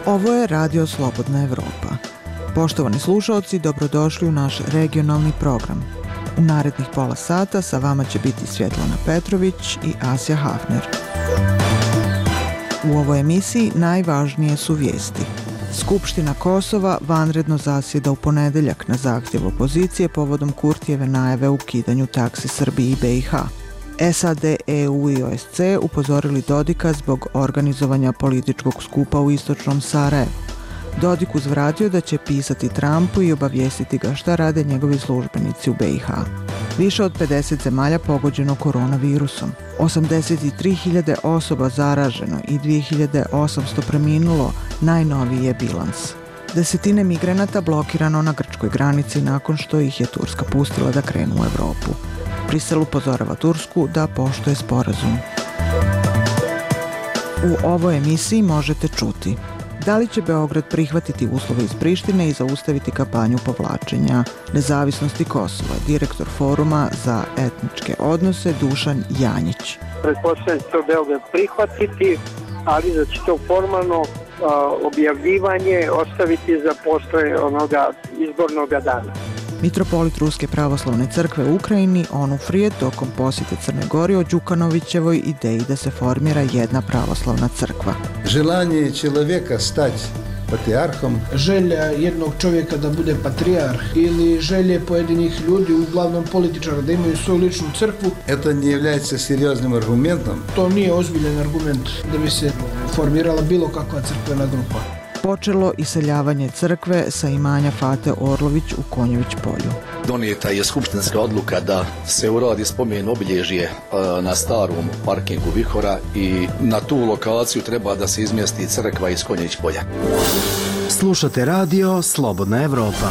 Ovo je Radio Slobodna Evropa. Poštovani slušaoci, dobrodošli u naš regionalni program. U narednih pola sata sa vama će biti Svjetlana Petrović i Asja Hafner. U ovoj emisiji najvažnije su vijesti. Skupština Kosova vanredno zasjeda u ponedeljak na zahtjev opozicije povodom Kurtijeve najave o ukidanju taksi Srbiji i BiH. SAD, EU i OSCE upozorili Dodika zbog organizovanja političkog skupa u istočnom Sarajevu. Dodik uzvratio da će pisati Trumpu i obavijestiti ga šta rade njegovi službenici u BiH. Više od 50 zemalja pogođeno koronavirusom. 83.000 osoba zaraženo i 2.800 preminulo, najnoviji je bilans. Desetine migranata blokirano na grčkoj granici nakon što ih je Turska pustila da krenu u Evropu. Brisel upozorava Tursku da poštuje sporazum. U ovoj emisiji možete čuti: da li će Beograd prihvatiti uslove iz Prištine i zaustaviti kampanju povlačenja nezavisnosti Kosova? Direktor Foruma za etničke odnose Dušan Janjić. Pretpostavljam da će to Beograd prihvatiti, ali da će to formalno objavljivanje ostaviti za posle onoga izbornog dana. Mitropolit Ruske pravoslavne crkve u Ukrajini Onufrije tokom posjete Crne Gori o Đukanovićevoj ideji da se formira jedna pravoslavna crkva. Želanje čovjeka stati patrijarhom. Želja jednog čovjeka da bude patrijarh ili želje pojedinih ljudi, uglavnom političara, da imaju svoju ličnu crkvu. To ne является серьезным аргументом. To nije ozbiljan argument da bi se formirala bilo kakva crkvena grupa. Počelo iseljavanje crkve sa imanja Fate Orlović u Konjević polju. Donijeta je skupštinska odluka da se uradi spomen obilježje na starom parkingu Vihora i na tu lokaciju treba da se izmjesti crkva iz Konjević polja. Slušate radio Slobodna Evropa.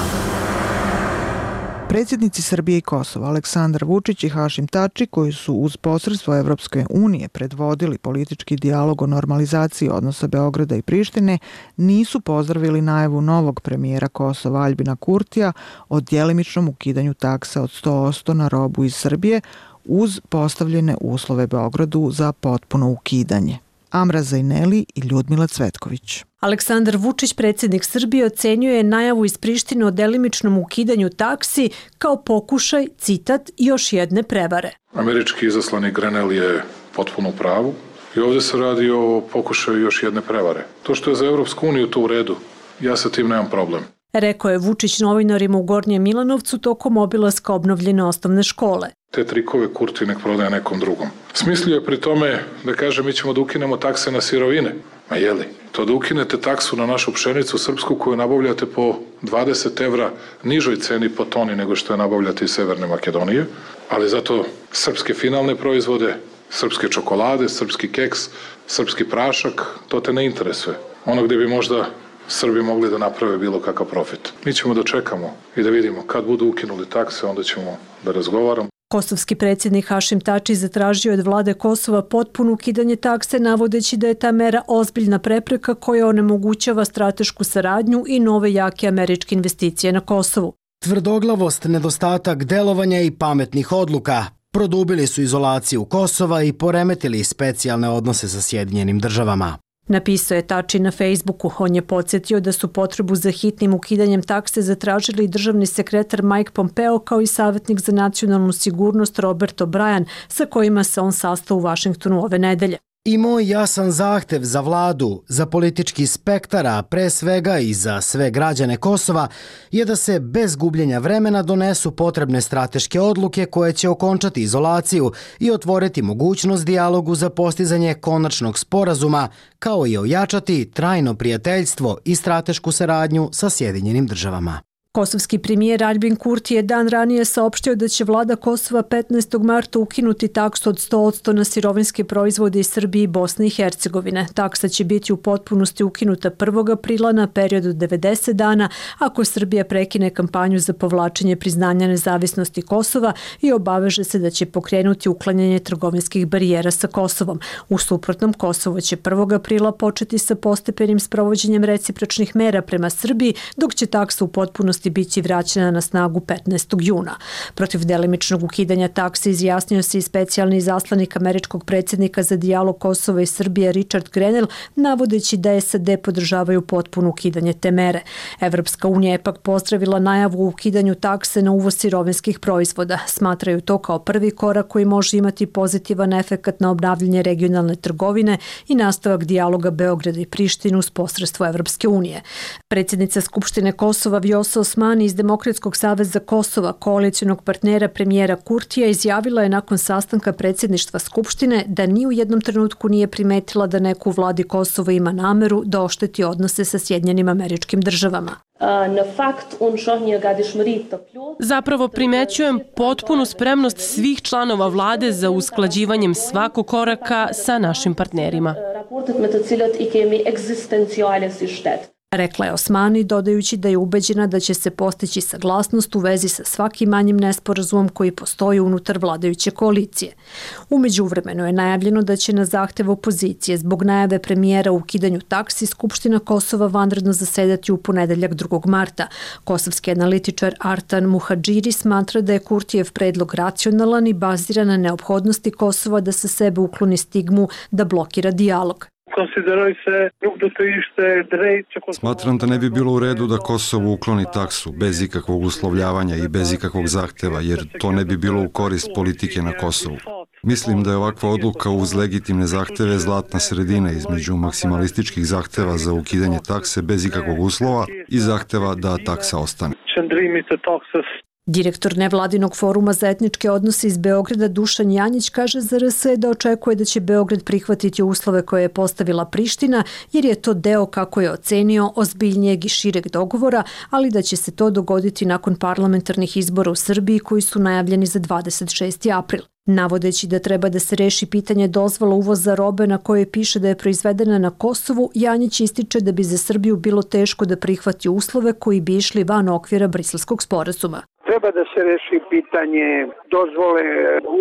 Predsjednici Srbije i Kosova Aleksandar Vučić i Hašim Tači, koji su uz posredstvo Evropske unije predvodili politički dijalog o normalizaciji odnosa Beograda i Prištine, nisu pozdravili najavu novog premijera Kosova Aljbina Kurtija o djelimičnom ukidanju taksa od 100% na robu iz Srbije uz postavljene uslove Beogradu za potpuno ukidanje. Amra Zajneli i Ljudmila Cvetković. Aleksandar Vučić, predsjednik Srbije, ocenjuje najavu iz Prištine o delimičnom ukidanju taksi kao pokušaj, citat, još jedne prevare. Američki izaslanik Grenell je potpuno u pravu i ovdje se radi o pokušaju još jedne prevare. To što je za Evropsku uniju to u redu, ja sa tim nemam problem. Rekao je Vučić novinarima u Gornjem Milanovcu tokom obilaska obnovljene osnovne škole. Te trikove Kurti nek prodaje nekom drugom. Smislio je pri tome da kaže mi ćemo da ukinemo takse na sirovine. Ma jeli? To da ukinete taksu na našu pšenicu srpsku koju nabavljate po 20 evra nižoj ceni po toni nego što je nabavljate iz Severne Makedonije, ali zato srpske finalne proizvode, srpske čokolade, srpski keks, srpski prašak, to te ne interesuje. Ono gdje bi možda Srbi mogli da naprave bilo kakav profit. Mi ćemo da čekamo i da vidimo kad budu ukinuli takse, onda ćemo da razgovaramo. Kosovski predsjednik Hašim Tači zatražio od vlade Kosova potpuno ukidanje takse, navodeći da je ta mera ozbiljna prepreka koja onemogućava stratešku saradnju i nove jake američke investicije na Kosovu. Tvrdoglavost, nedostatak delovanja i pametnih odluka produbili su izolaciju Kosova i poremetili specijalne odnose sa Sjedinjenim državama. Napisao je Tači na Facebooku. On je podsjetio da su potrebu za hitnim ukidanjem takse zatražili državni sekretar Mike Pompeo kao i savjetnik za nacionalnu sigurnost Robert O'Brien, sa kojima se on sastao u Vašingtonu ove nedelje. I moj jasan zahtev za vladu, za politički spektar, a pre svega i za sve građane Kosova, je da se bez gubljenja vremena donesu potrebne strateške odluke koje će okončati izolaciju i otvoriti mogućnost dijalogu za postizanje konačnog sporazuma, kao i ojačati trajno prijateljstvo i stratešku saradnju sa Sjedinjenim državama. Kosovski premijer Aljbin Kurti je dan ranije saopštio da će vlada Kosova 15. marta ukinuti taksu od 100% na sirovinske proizvode iz Srbije i Bosne i Hercegovine. Taksa će biti u potpunosti ukinuta 1. aprila na period od 90 dana ako Srbija prekine kampanju za povlačenje priznanja nezavisnosti Kosova i obaveže se da će pokrenuti uklanjanje trgovinskih barijera sa Kosovom. U suprotnom, Kosovo će 1. aprila početi sa postepenim sprovođenjem recipročnih mera prema Srbiji, dok će taksa u potpunosti potpunosti biti vraćena na snagu 15. juna. Protiv delimičnog ukidanja taksi izjasnio se i specijalni izaslanik američkog predsjednika za dijalog Kosova i Srbije Richard Grenell, navodeći da SAD podržavaju potpuno ukidanje te mere. Evropska unija je pak pozdravila najavu o ukidanju takse na uvoz sirovinskih proizvoda. Smatraju to kao prvi korak koji može imati pozitivan efekat na obnavljanje regionalne trgovine i nastavak dijaloga Beograda i Prištine uz posredstvo Evropske unije. Predsjednica Skupštine Kosova Vjosa Osmani iz Demokratskog saveza Kosova, koalicionog partnera premijera Kurtija, izjavila je nakon sastanka predsjedništva Skupštine da ni u jednom trenutku nije primetila da neko u vladi Kosova ima nameru da ošteti odnose sa Sjedinjenim Američkim Državama. Zapravo primećujem potpunu spremnost svih članova vlade za usklađivanjem svakog koraka sa našim partnerima. Rekla je Osmani, dodajući da je ubeđena da će se postići saglasnost u vezi sa svakim manjim nesporazumom koji postoji unutar vladajuće koalicije. U međuvremenu je najavljeno da će na zahtev opozicije zbog najave premijera u ukidanju taksi Skupština Kosova vanredno zasedati u ponedeljak 2. marta. Kosovski analitičar Artan Muhadžiri smatra da je Kurtijev predlog racionalan i baziran na neophodnosti Kosova da sa sebe ukloni stigmu da blokira dijalog. Smatram da ne bi bilo u redu da Kosovo ukloni taksu bez ikakvog uslovljavanja i bez ikakvog zahteva, jer to ne bi bilo u korist politike na Kosovu. Mislim da je ovakva odluka uz legitimne zahteve zlatna sredina između maksimalističkih zahteva za ukidanje takse bez ikakvog uslova i zahteva da taksa ostane. Direktor nevladinog foruma za etničke odnose iz Beograda Dušan Janjić kaže za RS da očekuje da će Beograd prihvatiti uslove koje je postavila Priština, jer je to deo, kako je ocenio, ozbiljnijeg i šireg dogovora, ali da će se to dogoditi nakon parlamentarnih izbora u Srbiji koji su najavljeni za 26. april. Navodeći da treba da se reši pitanje dozvola uvoza robe na kojoj piše da je proizvedena na Kosovu, Janjić ističe da bi za Srbiju bilo teško da prihvati uslove koji bi išli van okvira Briselskog sporazuma. Treba da se reši pitanje dozvole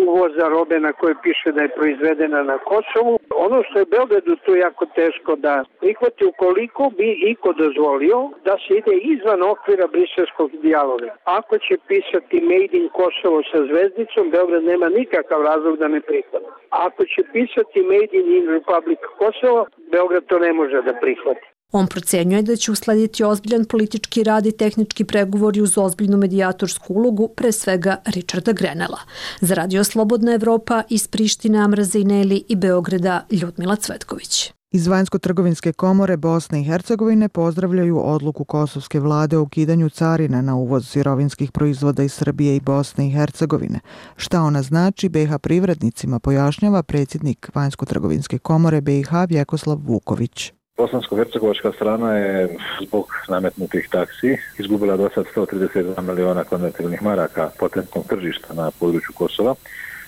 uvoza robe na kojoj piše da je proizvedena na Kosovu. Ono što je Beogradu tu jako teško da prihvati, ukoliko bi iko dozvolio da se ide izvan okvira briselskog dijaloga. Ako će pisati Made in Kosovo sa zvezdicom, Beograd nema nikakav razlog da ne prihvati. Ako će pisati Made in Republic Kosovo, Beograd to ne može da prihvati. On procenjuje da će uslediti ozbiljan politički rad i tehnički pregovori uz ozbiljnu medijatorsku ulogu, pre svega Richarda Grenella. Za Radio Slobodna Evropa iz Prištine Amra Zejneli i Beograda Ljudmila Cvetković. Iz Vanjsko-trgovinske komore Bosne i Hercegovine pozdravljaju odluku kosovske vlade o ukidanju carina na uvoz sirovinskih proizvoda iz Srbije i Bosne i Hercegovine. Šta ona znači BiH privrednicima pojašnjava predsjednik Vanjsko-trgovinske komore BiH Vjekoslav Vuković. Bosansko-hercegovačka strana je zbog nametnutih taksi izgubila do sad 132 miliona konvertibilnih maraka potentnog tržišta na području Kosova,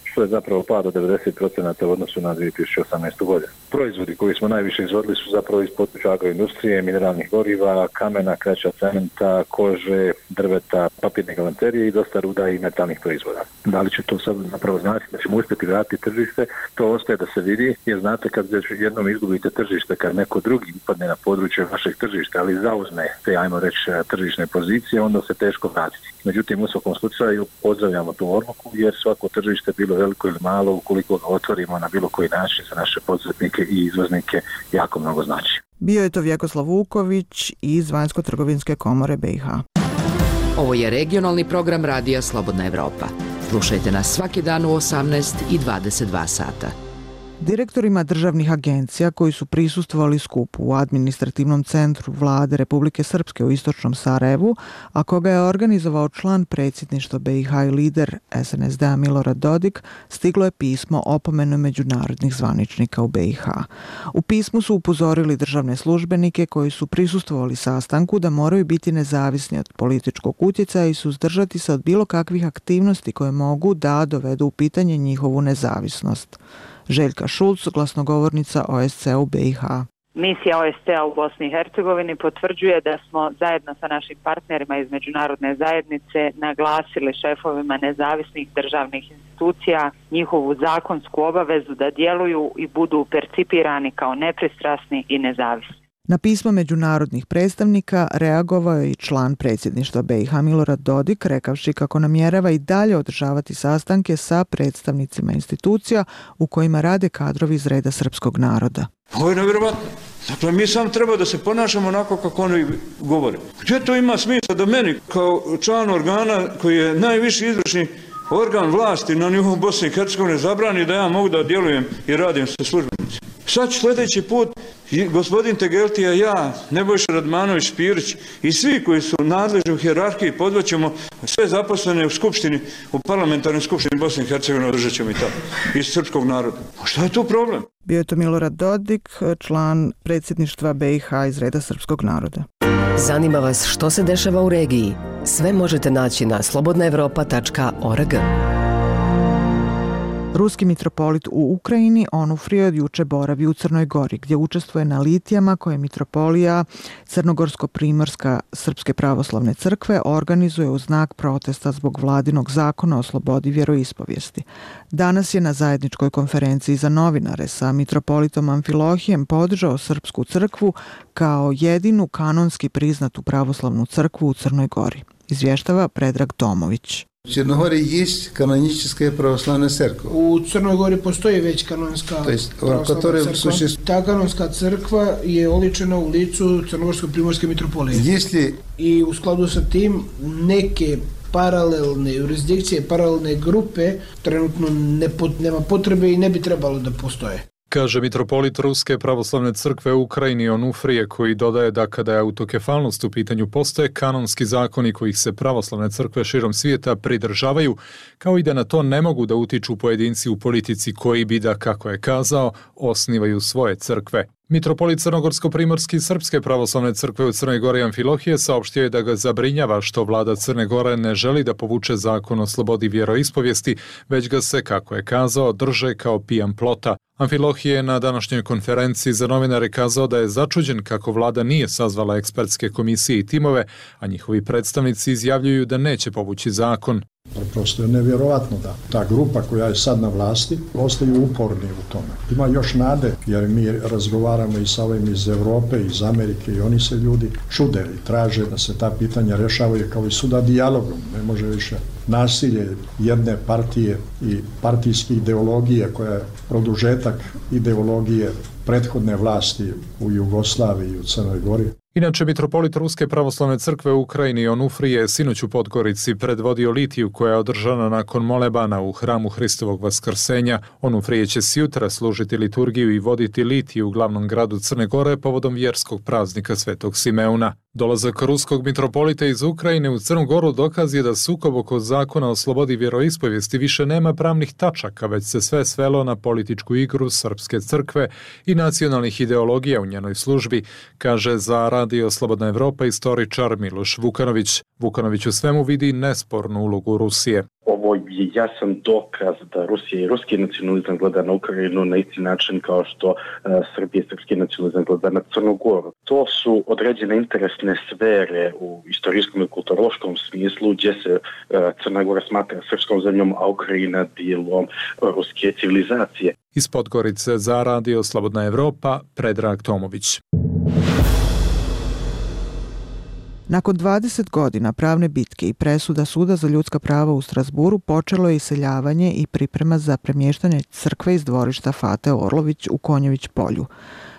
što je zapravo pad od 90% u odnosu na 2018. godinu. Proizvodi koji smo najviše izvodili su zapravo iz područja agroindustrije, mineralnih goriva, kamena, kraća, cementa, kože, drveta, papirne galanterije i dosta ruda i metalnih proizvoda. Da li će to sad zapravo znači da ćemo uspjeti vratiti tržište, to ostaje da se vidi, jer znate kad jednom izgubite tržište, kad neko drugi upadne na područje vašeg tržišta, ali zauzme te, ajmo reći, tržišne pozicije, onda se teško vratiti. Međutim, u svakom slučaju pozdravljamo tu odluku, jer svako tržište, bilo veliko ili malo, ukoliko ga otvorimo na bilo koji način za naše poduzetnike i izvoznike, jako mnogo znači. Bio je to Vjekoslav Vuković iz Vanjsko-trgovinske komore BiH. Ovo je regionalni program Radija Slobodna Evropa. Slušajte nas svaki dan u 18 i 22 sata. Direktorima državnih agencija koji su prisustvovali skupu u administrativnom centru Vlade Republike Srpske u istočnom Sarajevu, a koga je organizovao član predsjedništva BiH i lider SNSD-a Milorad Dodik, stiglo je pismo opomenu međunarodnih zvaničnika u BiH. U pismu su upozorili državne službenike koji su prisustvovali sastanku da moraju biti nezavisni od političkog utjecaja i suzdržati se od bilo kakvih aktivnosti koje mogu da dovedu u pitanje njihovu nezavisnost. Željka Šulc, glasnogovornica OSCE u BiH. Misija OSCE u Bosni i Hercegovini potvrđuje da smo zajedno sa našim partnerima iz međunarodne zajednice naglasili šefovima nezavisnih državnih institucija njihovu zakonsku obavezu da djeluju i budu percipirani kao nepristrasni i nezavisni. Na pismo međunarodnih predstavnika reagovao je i član predsjedništva BiH Milorad Dodik, rekavši kako namjerava i dalje održavati sastanke sa predstavnicima institucija u kojima rade kadrovi iz reda srpskog naroda. Ovo je nevjerovatno. Dakle, mi sam treba da se ponašamo onako kako oni govore. Gdje to ima smisla da meni kao član organa koji je najviši izvršni organ vlasti na nivou Bosne i Hercegovine zabrani da ja mogu da djelujem i radim sa službenicima? Sad ću sljedeći put gospodin Tegeltija, ja, Nebojša Radmanović, Pirić i svi koji su nadležni u hijerarhiji podvaćemo sve zaposlene u skupštini, u parlamentarnoj skupštini Bosne i Hercegovine, održat ćemo i tako, iz srpskog naroda. A šta je tu problem? Bio je to Milorad Dodik, član predsjedništva BiH iz reda srpskog naroda. Zanima vas što se dešava u regiji? Sve možete naći na slobodnaevropa.org. Ruski mitropolit u Ukrajini Onufrije od juče boravi u Crnoj Gori, gdje učestvuje na litijama koje mitropolija Crnogorsko-primorska Srpske pravoslavne crkve organizuje u znak protesta zbog vladinog zakona o slobodi vjeroispovijesti. Danas je na zajedničkoj konferenciji za novinare sa mitropolitom Amfilohijem podržao Srpsku crkvu kao jedinu kanonski priznatu pravoslavnu crkvu u Crnoj Gori. Izvještava Predrag Tomović. U Crnoj Gori je kanonička pravoslavna crkva. U Crnoj Gori postoji već kanonska pravoslavna crkva. Ta kanonska crkva je oličena u licu Crnogorsko-primorske mitropolije. I u skladu sa tim neke paralelne jurisdikcije, paralelne grupe trenutno nema potrebe i ne bi trebalo da postoje. Kaže mitropolit Ruske pravoslavne crkve u Ukrajini Onufrije, koji dodaje da kada je autokefalnost u pitanju postoje kanonski zakoni kojih se pravoslavne crkve širom svijeta pridržavaju, kao i da na to ne mogu da utiču pojedinci u politici koji bi da, kako je kazao, osnivaju svoje crkve. Mitropolit Crnogorsko-primorski Srpske pravoslavne crkve u Crnoj Gori Amfilohije saopštio je da ga zabrinjava što vlada Crne Gore ne želi da povuče zakon o slobodi vjeroispovijesti, već ga se, kako je kazao, drže kao pijan plota. Amfilohije je na današnjoj konferenciji za novinare kazao da je začuđen kako vlada nije sazvala ekspertske komisije i timove, a njihovi predstavnici izjavljuju da neće povući zakon. Prosto je nevjerovatno da ta grupa koja je sad na vlasti ostaju uporni u tome. Ima još nade, jer mi razgovaramo i sa ovim iz Europe, iz Amerike i oni se ljudi čude i traže da se ta pitanja rješavaju kao i suda dijalogom. Ne može više nasilje jedne partije i partijske ideologije koja je produžetak ideologije prethodne vlasti u Jugoslaviji i u Crnoj Gori. Inače, mitropolit Ruske pravoslavne crkve u Ukrajini Onufrije je sinoć u Podgorici predvodio litiju koja je održana nakon molebana u hramu Hristovog vaskrsenja. Onufrije će sjutra služiti liturgiju i voditi litiju u glavnom gradu Crne Gore povodom vjerskog praznika Svetog Simeuna. Dolazak ruskog mitropolita iz Ukrajine u Crnu Goru dokaz je da sukob oko zakona o slobodi vjeroispovijesti više nema pravnih tačaka, već se sve svelo na političku igru Srpske crkve i nacionalnih ideologija u njenoj službi, kaže za Radio Slobodna Evropa istoričar Miloš Vukanović. Vukanović u svemu vidi nespornu ulogu Rusije. Ovo je jasan dokaz da Rusija i ruski nacionalizam gleda na Ukrajinu na isti način kao što Srbija i srpski nacionalizam gleda na Crnu Goru. To su određene interesne sfere u istorijskom i kulturološkom smislu gdje se Crna Gora smatra srpskom zemljom, a Ukrajina dijelom ruske civilizacije. Iz Podgorice za Radio Slobodna Evropa, Predrag Tomović. Nakon 20 godina pravne bitke i presuda Suda za ljudska prava u Strasburu počelo je iseljavanje i priprema za premještanje crkve iz dvorišta Fate Orlović u Konjević polju.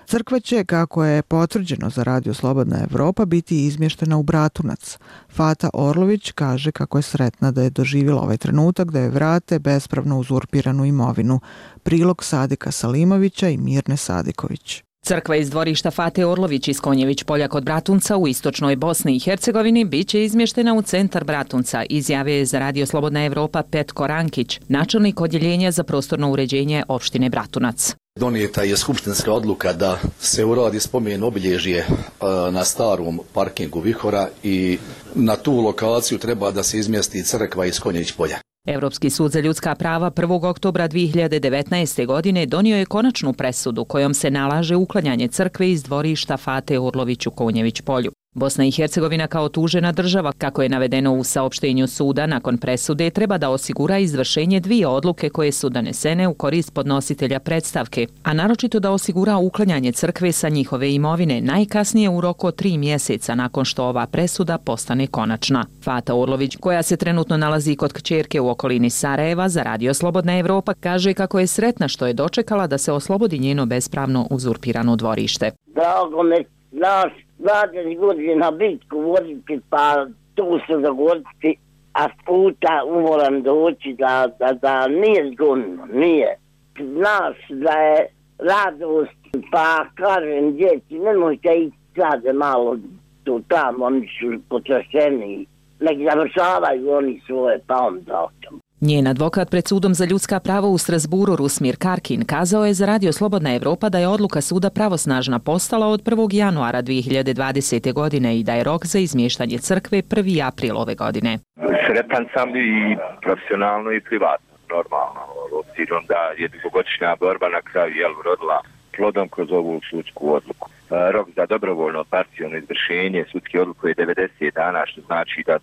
Crkva će, kako je potvrđeno za Radio Slobodna Evropa, biti izmještena u Bratunac. Fata Orlović kaže kako je sretna da je doživjela ovaj trenutak da je vrate bespravno uzurpiranu imovinu. Prilog Sadika Salimovića i Mirne Sadiković. Crkva iz dvorišta Fate Orlović iz Konjević polja kod Bratunca u istočnoj Bosni i Hercegovini biće izmještena u centar Bratunca, izjavio je za Radio Slobodna Evropa Petko Rankić, načelnik odjeljenja za prostorno uređenje opštine Bratunac. Donijeta je skupštinska odluka da se uradi spomen obilježje na starom parkingu Vihora i na tu lokaciju treba da se izmjesti crkva iz Konjević polja. Europski sud za ljudska prava 1. oktobra 2019. godine donio je konačnu presudu kojom se nalaže uklanjanje crkve iz dvorišta Fate Orlović u Konjević polju. Bosna i Hercegovina kao tužena država, kako je navedeno u saopštenju suda nakon presude, treba da osigura izvršenje 2 odluke koje su donesene u korist podnositelja predstavke, a naročito da osigura uklanjanje crkve sa njihove imovine najkasnije u roku od 3 mjeseca nakon što ova presuda postane konačna. Fata Orlović, koja se trenutno nalazi kod kćerke u okolini Sarajeva za Radio Slobodna Evropa, kaže kako je sretna što je dočekala da se oslobodi njeno bespravno uzurpirano dvorište. Drago me, znaš, 20 godina bitku voditi, pa tu se zagoditi, a puta umoram doći da nije zgodno, nije. Znaš da je radost, pa kažem djeci, nemojte ići sad malo tu tamo, oni su potrašeni, nek završavaju oni svoje, pa onda otom. Njen advokat pred sudom za ljudska prava u Strasburu, Rusmir Karkin, kazao je za Radio Slobodna Evropa da je odluka suda pravosnažna postala od 1. januara 2020. godine i da je rok za izmještanje crkve 1. april ove godine. Sretan sam i profesionalno i privatno, normalno, obzirom da je dugogodišnja borba na kraju rodila plodom kroz ovu sudsku odluku. Rok za dobrovoljno parcijalno izvršenje sudske odluke je 90 dana, što znači da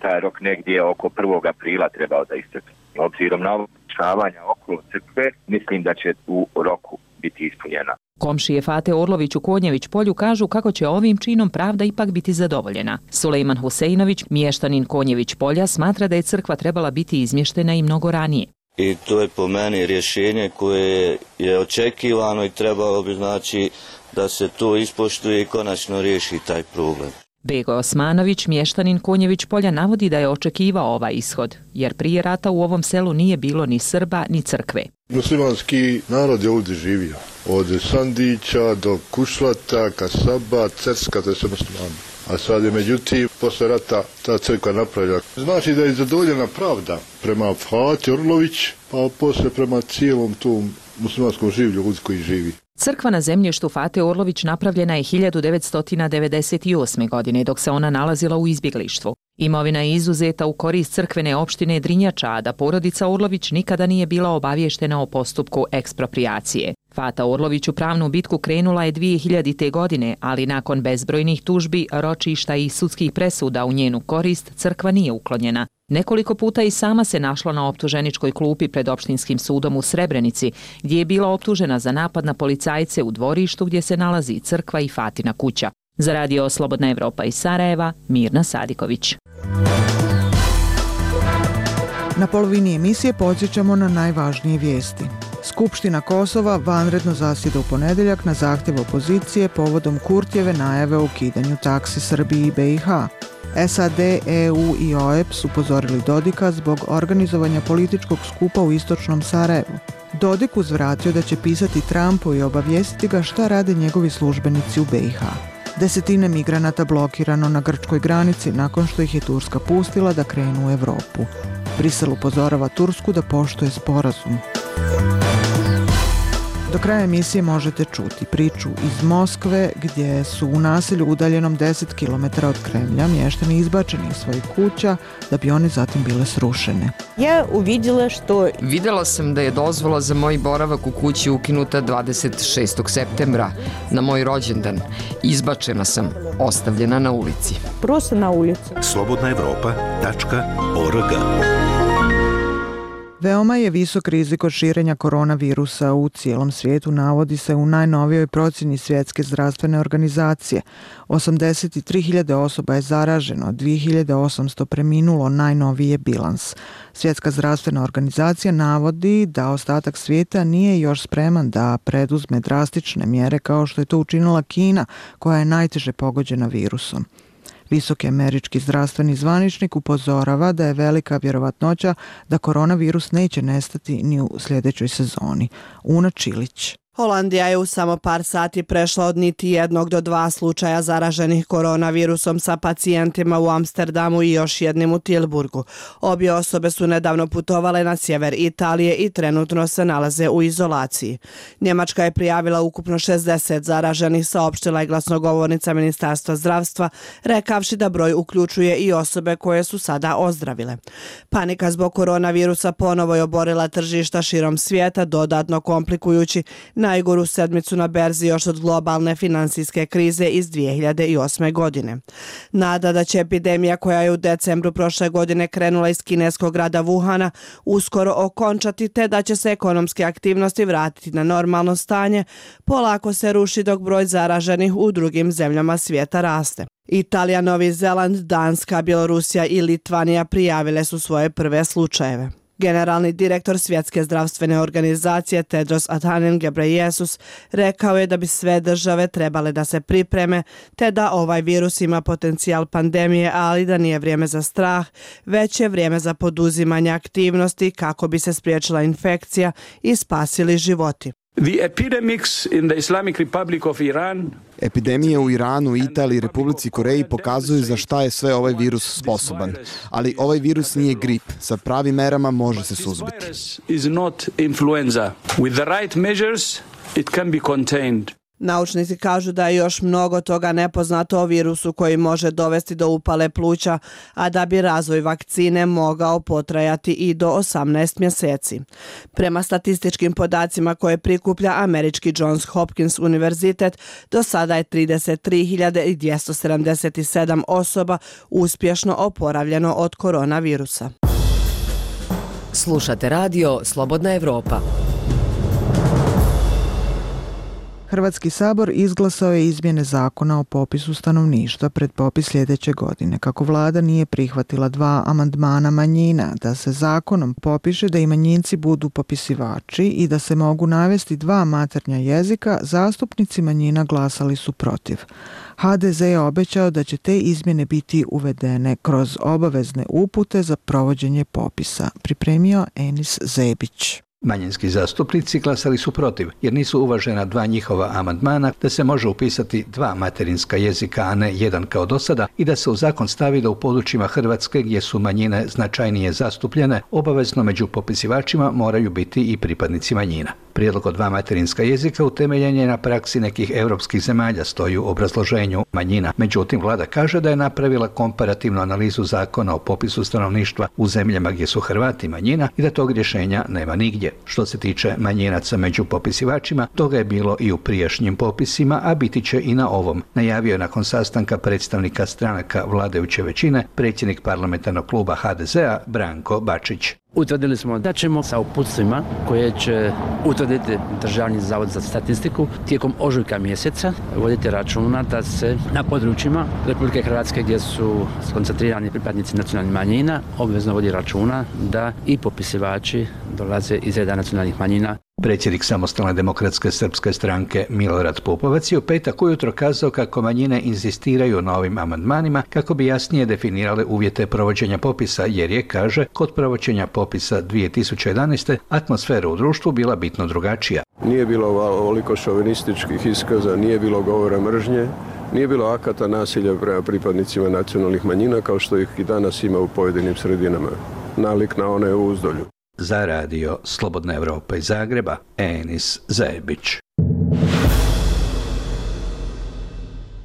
taj rok negdje oko 1. aprila trebao da istekne. Obzirom na odlučavanja okolo crkve, mislim da će u roku biti ispunjena. Komšije Fate Orlović u Konjević polju kažu kako će ovim činom pravda ipak biti zadovoljena. Sulejman Huseinović, mještanin Konjević polja, smatra da je crkva trebala biti izmještena i mnogo ranije. I to je po meni rješenje koje je očekivano i trebalo bi znači da se to ispoštuje i konačno riješi taj problem. Bego Osmanović, mještanin Konjević polja, navodi da je očekivao ovaj ishod, jer prije rata u ovom selu nije bilo ni Srba ni crkve. Muslimanski narod je ovdje živio, od Sandića do Kušlata, Kasaba, Cerska, to je sve muslimani. A sad je međutim, posle rata ta crkva napravila. Znači da je zadovoljena pravda prema Fati Orlović, pa posle prema cijelom tom muslimanskom življu ljudi koji živi. Crkva na zemljištu Fate Orlović napravljena je 1998. godine dok se ona nalazila u izbjeglištvu. Imovina je izuzeta u korist crkvene opštine Drinjača, a da porodica Orlović nikada nije bila obavještena o postupku eksproprijacije. Fata Orlović u pravnu bitku krenula je 2000. godine, ali nakon bezbrojnih tužbi, ročišta i sudskih presuda u njenu korist, crkva nije uklonjena. Nekoliko puta i sama se našla na optuženičkoj klupi pred opštinskim sudom u Srebrenici, gdje je bila optužena za napad na policajce u dvorištu gdje se nalazi crkva i Fatina kuća. Za Radio Slobodna Evropa iz Sarajeva, Mirna Sadiković. Na polovini emisije podsjećamo na najvažnije vijesti. Skupština Kosova vanredno zasjeda u ponedeljak na zahtjev opozicije povodom Kurtijeve najave o ukidanju taksi Srbiji i BiH. SAD, EU i OEP su upozorili Dodika zbog organizovanja političkog skupa u istočnom Sarajevu. Dodik uzvratio da će pisati Trumpu i obavijestiti ga šta rade njegovi službenici u BiH. Desetine migranata blokirano na grčkoj granici nakon što ih je Turska pustila da krenu u Evropu. Brisel upozorava Tursku da poštuje sporazum. Do kraja emisije možete čuti priču iz Moskve gdje su u naselju udaljenom 10 km od Kremlja mještani izbačeni iz svojih kuća da bi one zatim bile srušene. Vidjela sam da je dozvola za moj boravak u kući ukinuta 26. septembra na moj rođendan. Izbačena sam, ostavljena na ulici. Slobodnaevropa.org. Veoma je visok rizik od širenja koronavirusa u cijelom svijetu, navodi se u najnovijoj procjeni Svjetske zdravstvene organizacije. 83.000 osoba je zaraženo, 2.800 preminulo, najnoviji je bilans. Svjetska zdravstvena organizacija navodi da ostatak svijeta nije još spreman da preduzme drastične mjere kao što je to učinila Kina, koja je najteže pogođena virusom. Visoki američki zdravstveni zvaničnik upozorava da je velika vjerovatnoća da koronavirus neće nestati ni u sljedećoj sezoni. Una Čilić. Holandija je u samo par sati prešla od niti 1 do 2 slučaja zaraženih koronavirusom sa pacijentima u Amsterdamu i još jednim u Tilburgu. Obje osobe su nedavno putovale na sjever Italije i trenutno se nalaze u izolaciji. Njemačka je prijavila ukupno 60 zaraženih, saopštila je glasnogovornica Ministarstva zdravstva, rekavši da broj uključuje i osobe koje su sada ozdravile. Panika zbog koronavirusa ponovo je oborila tržišta širom svijeta, dodatno komplikujući najgoru sedmicu na berzi još od globalne finansijske krize iz 2008. godine. Nada da će epidemija koja je u decembru prošle godine krenula iz kineskog grada Wuhana uskoro okončati te da će se ekonomske aktivnosti vratiti na normalno stanje, polako se ruši dok broj zaraženih u drugim zemljama svijeta raste. Italija, Novi Zeland, Danska, Bjelorusija i Litvanija prijavile su svoje prve slučajeve. Generalni direktor Svjetske zdravstvene organizacije Tedros Adhanom Ghebreyesus rekao je da bi sve države trebale da se pripreme, te da ovaj virus ima potencijal pandemije, ali da nije vrijeme za strah, već je vrijeme za poduzimanje aktivnosti kako bi se spriječila infekcija i spasili životi. Epidemije u Iranu, Italiji i Republici Koreji pokazuju za šta je sve ovaj virus sposoban. Ali ovaj virus nije grip. Sa pravim merama može se suzbiti. Naučnici kažu da je još mnogo toga nepoznato o virusu koji može dovesti do upale pluća, a da bi razvoj vakcine mogao potrajati i do 18 mjeseci. Prema statističkim podacima koje prikuplja američki Johns Hopkins univerzitet, do sada je 33.277 osoba uspješno oporavljeno od koronavirusa. Slušate radio Slobodna Evropa. Hrvatski sabor izglasao je izmjene zakona o popisu stanovništva pred popis sljedeće godine, kako vlada nije prihvatila 2 amandmana manjina, da se zakonom popiše da i manjinci budu popisivači i da se mogu navesti 2 maternja jezika, zastupnici manjina glasali su protiv. HDZ je obećao da će te izmjene biti uvedene kroz obavezne upute za provođenje popisa, pripremio Enis Zebić. Manjinski zastupnici glasali su protiv, jer nisu uvažena 2 njihova amandmana da se može upisati 2 materinska jezika, a ne 1 kao do sada, i da se u zakon stavi da u područjima Hrvatske gdje su manjine značajnije zastupljene, obavezno među popisivačima moraju biti i pripadnici manjina. Prijedlog od 2 materinska jezika utemeljen je na praksi nekih europskih zemalja, stoji u obrazloženju manjina. Međutim, vlada kaže da je napravila komparativnu analizu zakona o popisu stanovništva u zemljama gdje su Hrvati manjina i da tog rješenja nema nigdje. Što se tiče manjinaca među popisivačima, toga je bilo i u prijašnjim popisima, a biti će i na ovom, najavio je nakon sastanka predstavnika stranaka vladajuće većine predsjednik parlamentarnog kluba HDZ-a Branko Bačić. Utvrdili smo da ćemo sa uputstvima koje će utvrditi Državni zavod za statistiku tijekom ožujka mjeseca voditi računa da se na područjima Republike Hrvatske gdje su skoncentrirani pripadnici nacionalnih manjina obvezno vodi računa da i popisivači dolaze iz reda nacionalnih manjina. Predsjednik Samostalne demokratske srpske stranke Milorad Pupovac je u petak ujutro kazao kako manjine inzistiraju na ovim amandmanima kako bi jasnije definirale uvjete provođenja popisa, jer je, kaže, kod provođenja popisa 2011. atmosfera u društvu bila bitno drugačija. Nije bilo ovoliko šovinističkih iskaza, nije bilo govora mržnje, nije bilo akata nasilja prema pripadnicima nacionalnih manjina kao što ih i danas ima u pojedinim sredinama. Nalik na one u Uzdolju. Za radio Slobodna Evropa iz Zagreba, Enis Zebić.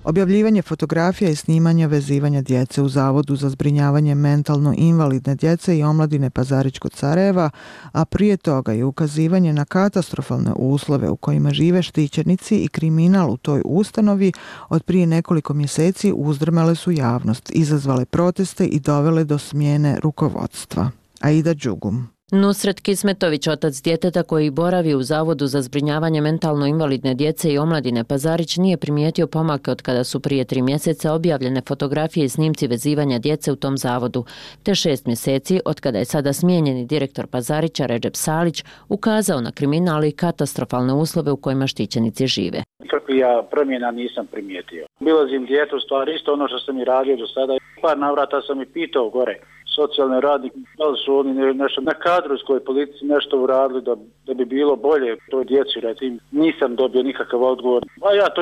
Objavljivanje fotografija i snimanja vezivanja djece u Zavodu za zbrinjavanje mentalno invalidne djece i omladine Pazarić kod Sarajeva, a prije toga je ukazivanje na katastrofalne uslove u kojima žive štićenici i kriminal u toj ustanovi od prije nekoliko mjeseci uzdrmale su javnost, izazvale proteste i dovele do smjene rukovodstva. Aida Đugum. Nusret Kismetović, otac djeteta koji boravi u Zavodu za zbrinjavanje mentalno invalidne djece i omladine Pazarić, nije primijetio pomake od kada su prije 3 mjeseca objavljene fotografije i snimci vezivanja djece u tom zavodu, te 6 mjeseci od kada je sada smijenjeni direktor Pazarića Redžep Salić ukazao na kriminal i katastrofalne uslove u kojima štićenici žive. Ja promjena nisam primijetio. Bilazim djetu, stvar isto ono što sam i radio do sada. Par navrata sam i pitao gore socijalne radnike, da li su oni nešto na kadrovskoj politici nešto uradili da bi bilo bolje toj djeci, recimo. Nisam dobio nikakav odgovor. A ja to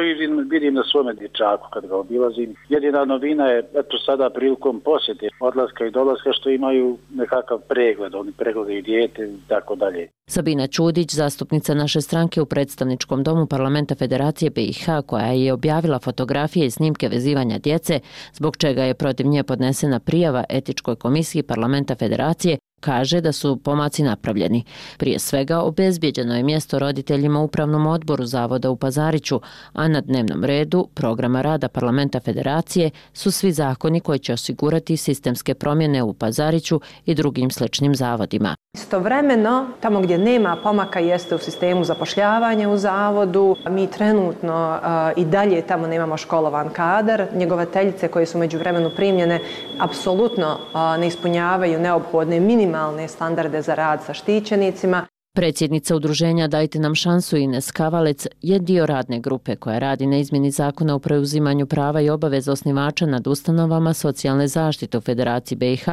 vidim na svome dječaku kad ga obilazim. Jedina novina je, eto sada prilikom posjete, odlaska i dolaska, što imaju nekakav pregled, oni pregledaju dijete i tako dalje. Sabina Čudić, zastupnica naše stranke u predstavničkom domu Parlamenta Federacije BiH, koja je objavila fotografije i snimke vezivanja djece, zbog čega je protiv nje podnesena prijava Etičkoj komisiji Parlamenta Federacije, Kaže da su pomaci napravljeni. Prije svega obezbijeđeno je mjesto roditeljima u upravnom odboru Zavoda u Pazariću, a na dnevnom redu programa rada Parlamenta Federacije su svi zakoni koji će osigurati sistemske promjene u Pazariću i drugim sličnim zavodima. Istovremeno, tamo gdje nema pomaka jeste u sistemu zapošljavanja u zavodu. Mi trenutno i dalje tamo nemamo školovan kadar. Njegovateljice koje su međuvremenu primljene apsolutno ne ispunjavaju neophodne minimalne standarde za rad sa štićenicima. Predsjednica udruženja Dajte nam šansu Ines Kavalec je dio radne grupe koja radi na izmjeni zakona o preuzimanju prava i obaveza osnivača nad ustanovama socijalne zaštite u Federaciji BiH,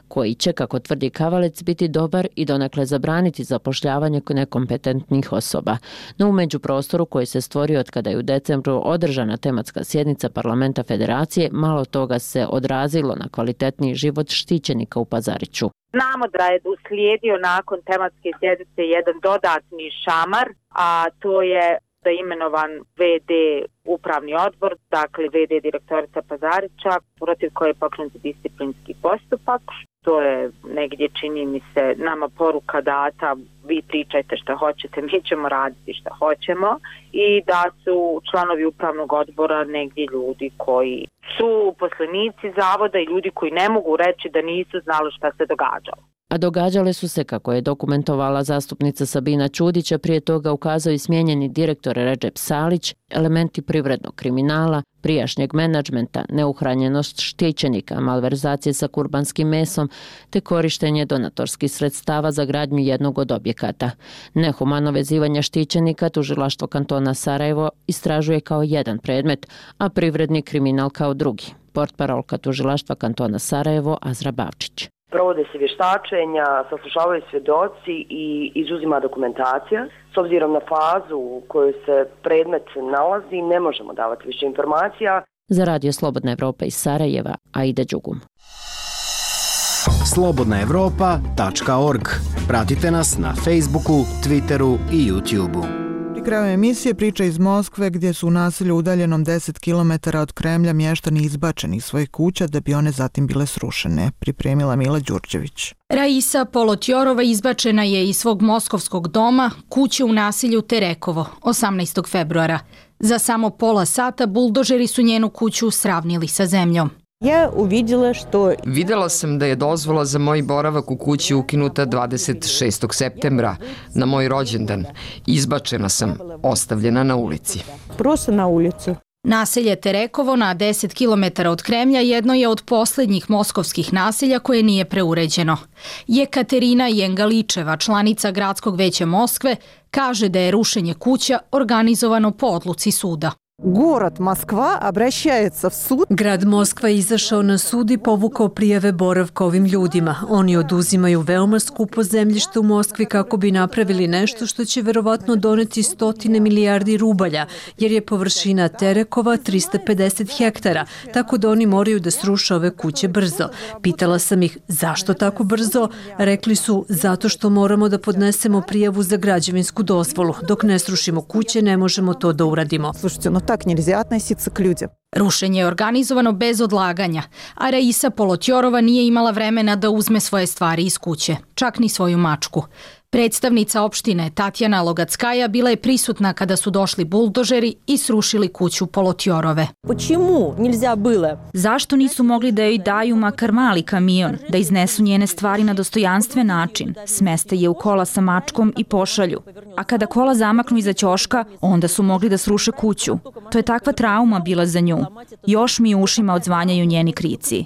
koji će, kako tvrdi Kavalec, biti dobar i donekle zabraniti zapošljavanje nekompetentnih osoba. No u međuprostoru koji se stvorio od kada je u decembru održana tematska sjednica Parlamenta Federacije, malo toga se odrazilo na kvalitetniji život štićenika u Pazariću. Znamo da je uslijedio nakon tematske sjednice jedan dodatni šamar, a to je da je imenovan VD upravni odbor, dakle VD direktorica Pazarića, protiv koje je pokrenut disciplinski postupak. To je negdje, čini mi se, nama poruka data, vi pričajte što hoćete, mi ćemo raditi što hoćemo, i da su članovi upravnog odbora negdje ljudi koji su uposlenici zavoda i ljudi koji ne mogu reći da nisu znali šta se događalo. A događale su se, kako je dokumentovala zastupnica Sabina Čudića, prije toga ukazao i smijenjeni direktor Redžep Salić, elementi privrednog kriminala, prijašnjeg menadžmenta, neuhranjenost štićenika, malverzacije sa kurbanskim mesom te korištenje donatorskih sredstava za gradnju jednog od objekata. Nehumano vezivanje štićenika tužilaštvo kantona Sarajevo istražuje kao jedan predmet, a privredni kriminal kao drugi. Portparolka tužilaštva kantona Sarajevo Azra Bavčić. Provode se vještačenja, saslušavaju svjedoci i izuzima dokumentacija. S obzirom na fazu u kojoj se predmet nalazi, ne možemo davati više informacija. Za Radio Slobodna Evropa iz Sarajeva, Aida Đugum. slobodnaevropa.org. Pratite nas na Facebooku, Twitteru i YouTubeu. Pri kraju emisije priča iz Moskve, gdje su u naselju udaljenom 10 km od Kremlja mještani izbačeni iz svojih kuća da bi one zatim bile srušene, pripremila Mila Đurđević. Raisa Polotjorova izbačena je iz svog moskovskog doma, kuće u naselju Terekovo, 18. februara. Za samo pola sata buldožeri su njenu kuću sravnili sa zemljom. Vidjela sam da je dozvola za moj boravak u kući ukinuta 26. septembra, na moj rođendan. Izbačena sam, ostavljena na ulici. Naselje Terekovo na 10 km od Kremlja jedno je od posljednjih moskovskih naselja koje nije preuređeno. Jekaterina Jengaličeva, članica Gradskog veća Moskve, kaže da je rušenje kuća organizovano po odluci suda. Grad Moskva je izašao na sud i povukao prijave boravka ovim ljudima. Oni oduzimaju veoma skupo zemljište u Moskvi kako bi napravili nešto što će verovatno doneti 100 milijardi rubalja, jer je površina Terekova 350 hektara, tako da oni moraju da sruše ove kuće brzo. Pitala sam ih zašto tako brzo? Rekli su zato što moramo da podnesemo prijavu za građevinsku dozvolu. Dok ne srušimo kuće ne možemo to da uradimo. Tak nельзя относиться к людям. Rušenje je organizovano bez odlaganja, a Raisa Polotjorova nije imala vremena da uzme svoje stvari iz kuće, čak ni svoju mačku. Predstavnica opštine Tatjana Logackaja bila je prisutna kada su došli buldožeri i srušili kuću Polotjorove. Zašto nisu mogli da joj daju makar mali kamion, da iznesu njene stvari na dostojanstven način, smeste je u kola sa mačkom i pošalju. A kada kola zamaknu iza ćoška, onda su mogli da sruše kuću. To je takva trauma bila za nju. Još mi u ušima odzvanjaju njeni krici.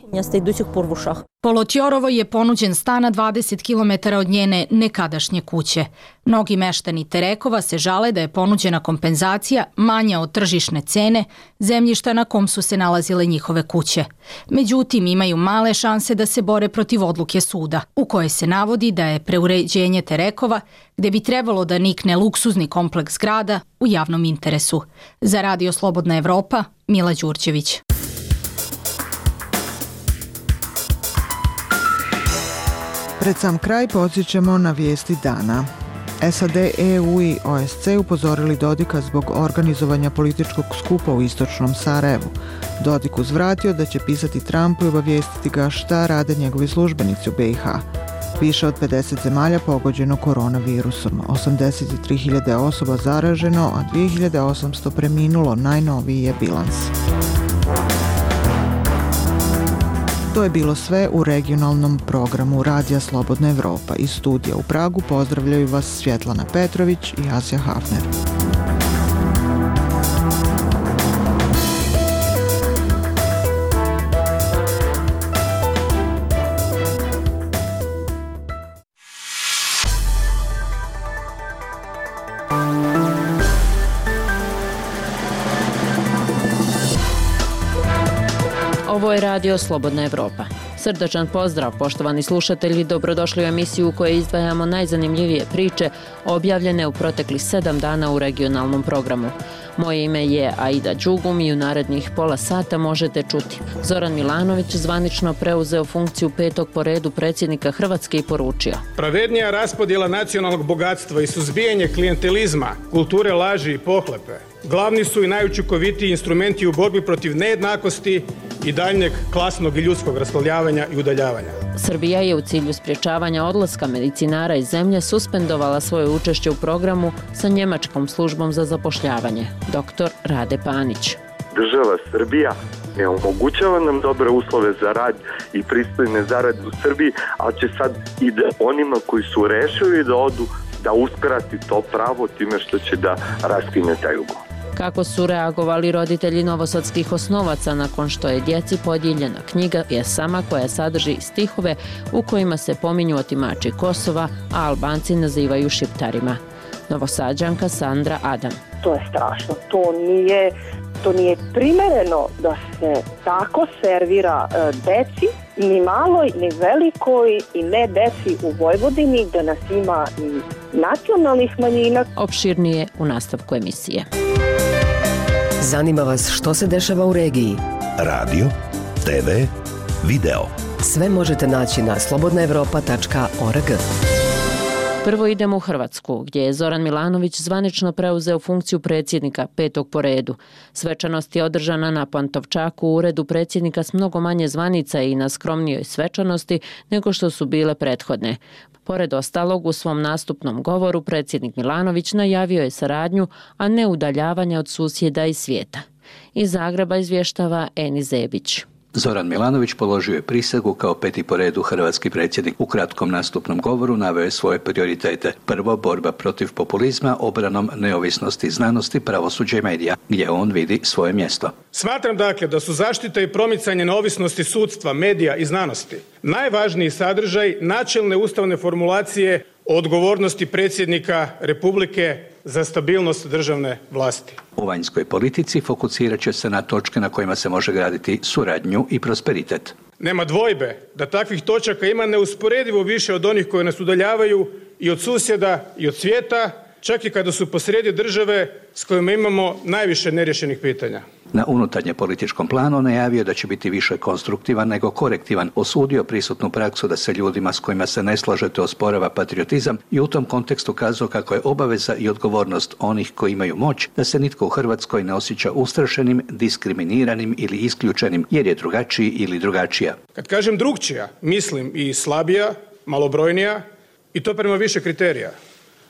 Polotjorovo je ponuđen stan na 20 km od njene nekadašnje kuće. Mnogi meštani Terekova se žale da je ponuđena kompenzacija manja od tržišne cene zemljišta na kom su se nalazile njihove kuće. Međutim, imaju male šanse da se bore protiv odluke suda, u kojoj se navodi da je preuređenje Terekova, gde bi trebalo da nikne luksuzni kompleks grada, u javnom interesu. Za Radio Slobodna Evropa, Mila Đurđević. Pred sam kraj podsjećamo na vijesti dana. SAD, EU i OSC upozorili Dodika zbog organizovanja političkog skupa u istočnom Sarajevu. Dodik uzvratio da će pisati Trumpu i obavijestiti ga šta rade njegovi službenici u BiH. Više od 50 zemalja pogođeno koronavirusom, 83.000 osoba zaraženo, a 2.800 preminulo, najnoviji je bilans. To je bilo sve u regionalnom programu Radija Slobodna Evropa. Iz studija u Pragu pozdravljaju vas Svjetlana Petrović i Asja Hafner. Ovo je Radio Slobodna Evropa. Srdačan pozdrav, poštovani slušatelji, dobrodošli u emisiju u kojoj izdvajamo najzanimljivije priče objavljene u proteklih 7 dana u regionalnom programu. Moje ime je Aida Đugum i u narednih pola sata možete čuti. Zoran Milanović zvanično preuzeo funkciju 5. po redu predsjednika Hrvatske i poručio: pravednija raspodjela nacionalnog bogatstva i suzbijanje klijentelizma, kulture laži i pohlepe glavni su i najučinkovitiji instrumenti u borbi protiv nejednakosti i daljnjeg klasnog i ljudskog raslojavanja i udaljavanja. Srbija je u cilju sprječavanja odlaska medicinara iz zemlje suspendovala svoje učešće u programu sa njemačkom službom za zapošljavanje. Dr. Rade Panić. Država Srbija ne omogućava nam dobre uslove za rad i pristojne zarade u Srbiji, ali će sad i da onima koji su rešili da odu da uskrati to pravo time što će da raskine taj ugovor. Kako su reagovali roditelji novosadskih osnovaca nakon što je djeci podijeljena knjiga Jesama koja sadrži stihove u kojima se pominju otimači Kosova, a Albanci nazivaju Šiptarima. Novosađanka Sandra Adam. To je strašno, to nije primereno da se tako servira deci, ni maloj, ni velikoj i ne deci u Vojvodini, da nas ima i nacionalnih manjina. Opširnije u nastavku emisije. Zanima vas što se dešava u regiji? Radio, TV, video. Sve možete naći na slobodnaevropa.org. Prvo idemo u Hrvatsku, gdje je Zoran Milanović zvanično preuzeo funkciju predsjednika 5. po redu. Svečanost je održana na Pantovčaku u uredu predsjednika s mnogo manje zvanica i na skromnijoj svečanosti nego što su bile prethodne. Pored ostalog, u svom nastupnom govoru predsjednik Milanović najavio je saradnju, a ne udaljavanje od susjeda i svijeta. Iz Zagreba izvještava Eni Zebić. Zoran Milanović položio je prisegu kao 5. po redu hrvatski predsjednik. U kratkom nastupnom govoru naveo je svoje prioritete. Prvo, borba protiv populizma, obranom neovisnosti znanosti, pravosuđa i medija, gdje on vidi svoje mjesto. Smatram dakle da su zaštita i promicanje neovisnosti sudstva, medija i znanosti najvažniji sadržaj načelne ustavne formulacije o odgovornosti predsjednika Republike za stabilnost državne vlasti. U vanjskoj politici fokusirat će se na točke na kojima se može graditi suradnju i prosperitet. Nema dvojbe da takvih točaka ima neusporedivo više od onih koje nas udaljavaju i od susjeda i od svijeta, čak i kada su posrijedi države s kojima imamo najviše neriješenih pitanja. Na unutarnje političkom planu najavio da će biti više konstruktivan nego korektivan, osudio prisutnu praksu da se ljudima s kojima se ne slažete osporava patriotizam i u tom kontekstu kazao kako je obaveza i odgovornost onih koji imaju moć da se nitko u Hrvatskoj ne osjeća ustrašenim, diskriminiranim ili isključenim jer je drugačiji ili drugačija. Kad kažem drugčija, mislim i slabija, malobrojnija i to prema više kriterija.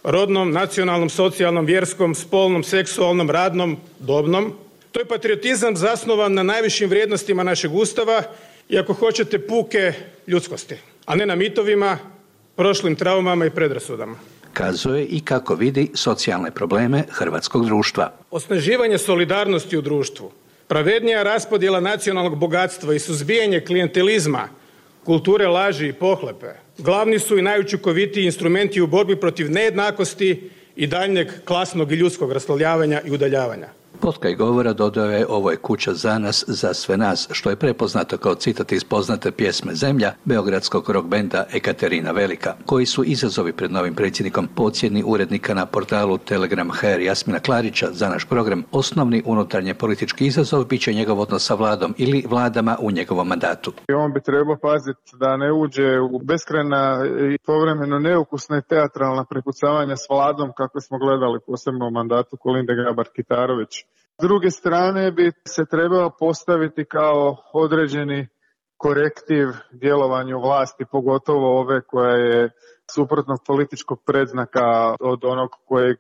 Rodnom, nacionalnom, socijalnom, vjerskom, spolnom, seksualnom, radnom, dobnom. To je patriotizam zasnovan na najvišim vrijednostima našeg Ustava i ako hoćete puke ljudskosti, a ne na mitovima, prošlim traumama i predrasudama. Kazuje i kako vidi socijalne probleme hrvatskog društva. Osnaživanje solidarnosti u društvu, pravednija raspodjela nacionalnog bogatstva i suzbijanje klijentelizma, kulture laži i pohlepe glavni su i najučinkovitiji instrumenti u borbi protiv nejednakosti i daljnjeg klasnog i ljudskog raslojavanja i udaljavanja. Potkraj govora dodao je: ovo je kuća za nas, za sve nas, što je prepoznato kao citat iz poznate pjesme Zemlja beogradskog rock benda Ekaterina Velika. Koji su izazovi pred novim predsjednikom? Po ocjeni urednika na portalu Telegram HR Jasmina Klarića za naš program, osnovni unutarnje politički izazov bit će njegov odnos sa vladom ili vladama u njegovom mandatu. On bi trebao paziti da ne uđe u beskrajna i povremeno neukusna i teatralna prepucavanja s vladom kako smo gledali posebno u mandatu Kolinde Grabar-Kitarović. S druge strane bi se trebao postaviti kao određeni korektiv djelovanju vlasti, pogotovo ove koja je suprotnog političkog predznaka od onog kojeg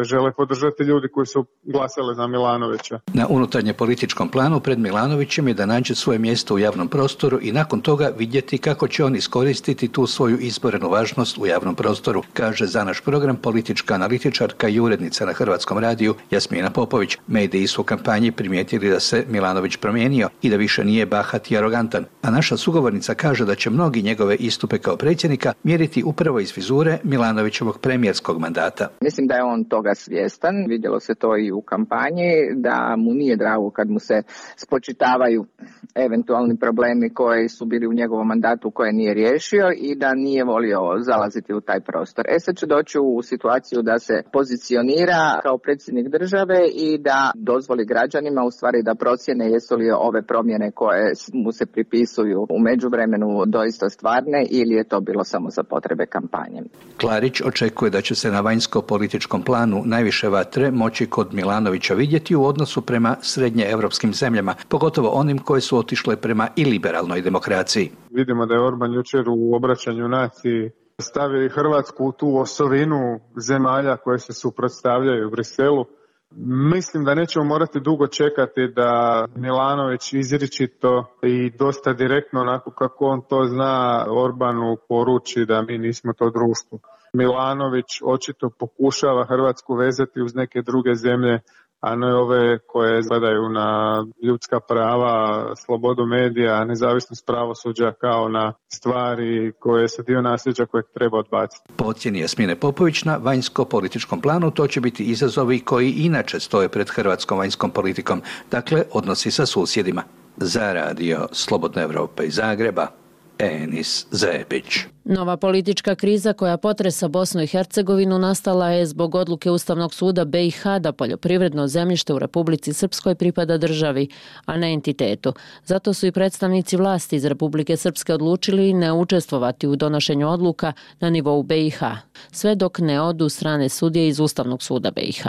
žele podržati ljudi koji su glasali za Milanovića. Na unutarnje političkom planu pred Milanovićem je da nađe svoje mjesto u javnom prostoru i nakon toga vidjeti kako će on iskoristiti tu svoju izborenu važnost u javnom prostoru, kaže za naš program politička analitičarka i urednica na Hrvatskom radiju Jasmina Popović. Mediji su u kampanji primijetili da se Milanović promijenio i da više nije bahat i arogantan, a naša sugovornica kaže da će mnogi njegove istupe kao predsjednika mjeriti upravo iz vizure Milanovićevog premijerskog mandata. Mislim da je on toga svjestan, vidjelo se to i u kampanji, da mu nije drago kad mu se spočitavaju eventualni problemi koji su bili u njegovom mandatu koje nije riješio i da nije volio zalaziti u taj prostor. Sad će doći u situaciju da se pozicionira kao predsjednik države i da dozvoli građanima u stvari da procjene jesu li ove promjene koje mu se pripisuju u međuvremenu doista stvarne ili je to bilo samo za potrebe kampanje. Klarić očekuje da će se na vanjsko-političkom planu najviše vatre moći kod Milanovića vidjeti u odnosu prema srednjeevropskim zemljama, pogotovo onim koje su otišle prema iliberalnoj demokraciji. Vidimo da je Orban jučer u obraćanju naciji stavio i Hrvatsku u tu osovinu zemalja koje se suprotstavljaju Briselu. Mislim da nećemo morati dugo čekati da Milanović izričito i dosta direktno, onako kako on to zna, Orbanu poruči da mi nismo to društvo. Milanović očito pokušava Hrvatsku vezati uz neke druge zemlje, a ne ove koje gledaju na ljudska prava, slobodu medija, nezavisnost pravosuđa kao na stvari koje su dio nasljeđa kojeg treba odbaciti. Po ocjeni Jasmine Popović, na vanjsko-političkom planu to će biti izazovi koji inače stoje pred hrvatskom vanjskom politikom, dakle odnosi sa susjedima. Za radio Slobodna Evropa iz Zagreba, Enis Zepić. Nova politička kriza koja potresa Bosnu i Hercegovinu nastala je zbog odluke Ustavnog suda BiH da poljoprivredno zemljište u Republici Srpskoj pripada državi, a ne entitetu. Zato su i predstavnici vlasti iz Republike Srpske odlučili ne učestvovati u donošenju odluka na nivou BiH, sve dok ne odu strane sudije iz Ustavnog suda BiH.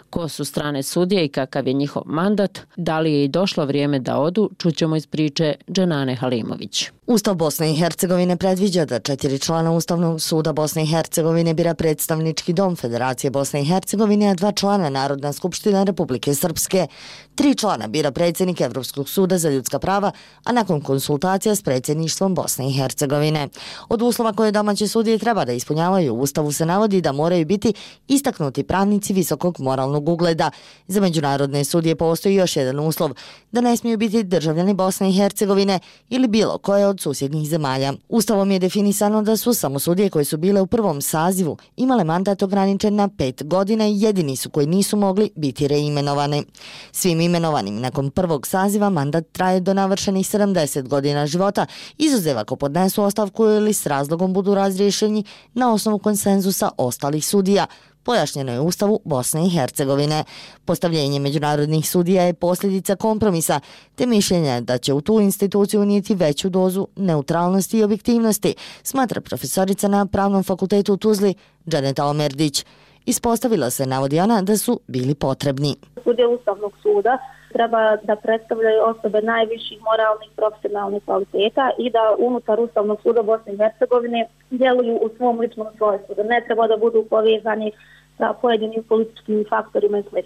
Ko su strane sudije i kakav je njihov mandat, da li je i došlo vrijeme da odu, čućemo iz priče Dženane Halimović. Ustav Bosne i Hercegovine predviđa da 4 člana Ustavnog suda Bosne i Hercegovine bira predstavnički dom Federacije Bosne i Hercegovine, a 2 člana Narodna skupština Republike Srpske. 3 člana bira predsjednik Evropskog suda za ljudska prava, a nakon konsultacija s predsjedništvom Bosne i Hercegovine. Od uslova koje domaće sudije treba da ispunjavaju u Ustavu se navodi da moraju biti istaknuti pravnici visokog moralnog ugleda. Za međunarodne sudije postoji još jedan uslov, da ne smiju biti državljani Bosne i Hercegovine ili bilo koje od susjednih zemalja. Ustavom je definisano da su samo sudije koje su bile u prvom sazivu imale mandat ograničen na 5 godina i jedini su koji nisu mogli biti reimenovani. Svim imenovanim nakon prvog saziva mandat traje do navršenih 70 godina života, izuzev ako podnesu ostavku ili s razlogom budu razriješeni na osnovu konsenzusa ostalih sudija. Pojašnjeno je u Ustavu Bosne i Hercegovine. Postavljenje međunarodnih sudija je posljedica kompromisa, te mišljenja da će u tu instituciju unijeti veću dozu neutralnosti i objektivnosti, smatra profesorica na Pravnom fakultetu u Tuzli Džaneta Omerdić. Ispostavila se, navodi ona, da su bili potrebni. Sudije Ustavnog suda treba da predstavljaju osobe najviših moralnih profesionalnih kvaliteta i da unutar Ustavnog suda Bosne i Hercegovine djeluju u svom ličnom svojstvu, da ne treba da budu povezani sa pojedinim političkim faktorima i sl.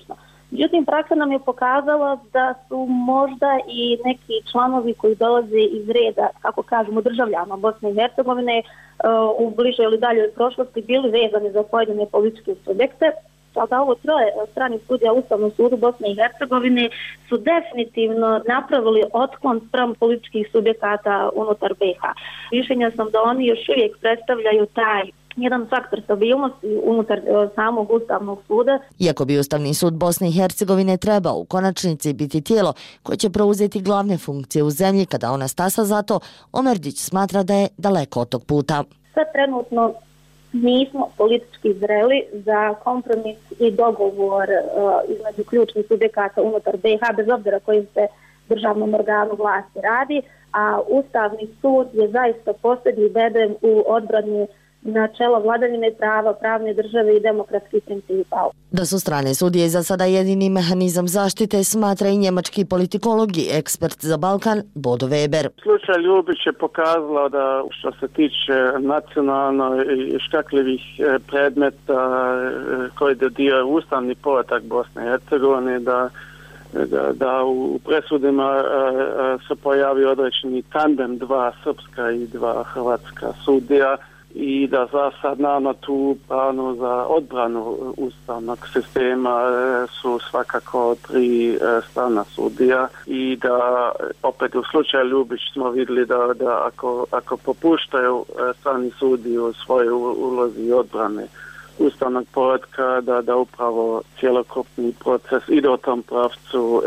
Međutim, praksa nam je pokazala da su možda i neki članovi koji dolaze iz reda, kako kažemo, državljana Bosne i Hercegovine u bližoj ili daljoj prošlosti bili vezani za pojedine političke subjekte. Da ovo troje strani sudija Ustavnog sudu Bosne i Hercegovine su definitivno napravili otklon spram političkih subjekata unutar BiH. Mišljenja sam da oni još uvijek predstavljaju taj jedan faktor stabilnosti unutar samog Ustavnog suda. Iako bi Ustavni sud Bosne i Hercegovine trebao u konačnici biti tijelo koje će preuzeti glavne funkcije u zemlji kada ona stasa za to, Omerdić smatra da je daleko od tog puta. Sad trenutno nismo politički zreli za kompromis i dogovor između ključnih subjekata unutar BiH, bez obzira kojim se državnom organu vlasti radi, a Ustavni sud je zaista posljednji bedem u odbrani načela vladavine prava, pravne države i demokratskih principa. Da su strane sudije za sada jedini mehanizam zaštite, smatra i njemački politikolog i ekspert za Balkan Bodo Weber. Slučaj Ljubić je pokazala da što se tiče nacionalno i škakljivih predmeta koji dodio ustavni poredak Bosne i Hercegovine, da u presudima se pojavio određeni tandem, dva srpska i dva hrvatska sudija, i da za sad naravno tu pravno za odbranu ustavnog sistema su svakako 3 strana sudija, i da opet u slučaju Ljubić smo vidjeli da ako popuštaju strani sudiji u svojoj ulozi odbrane ustavnog poretka, da upravo cjelokupni proces ide u tom pravcu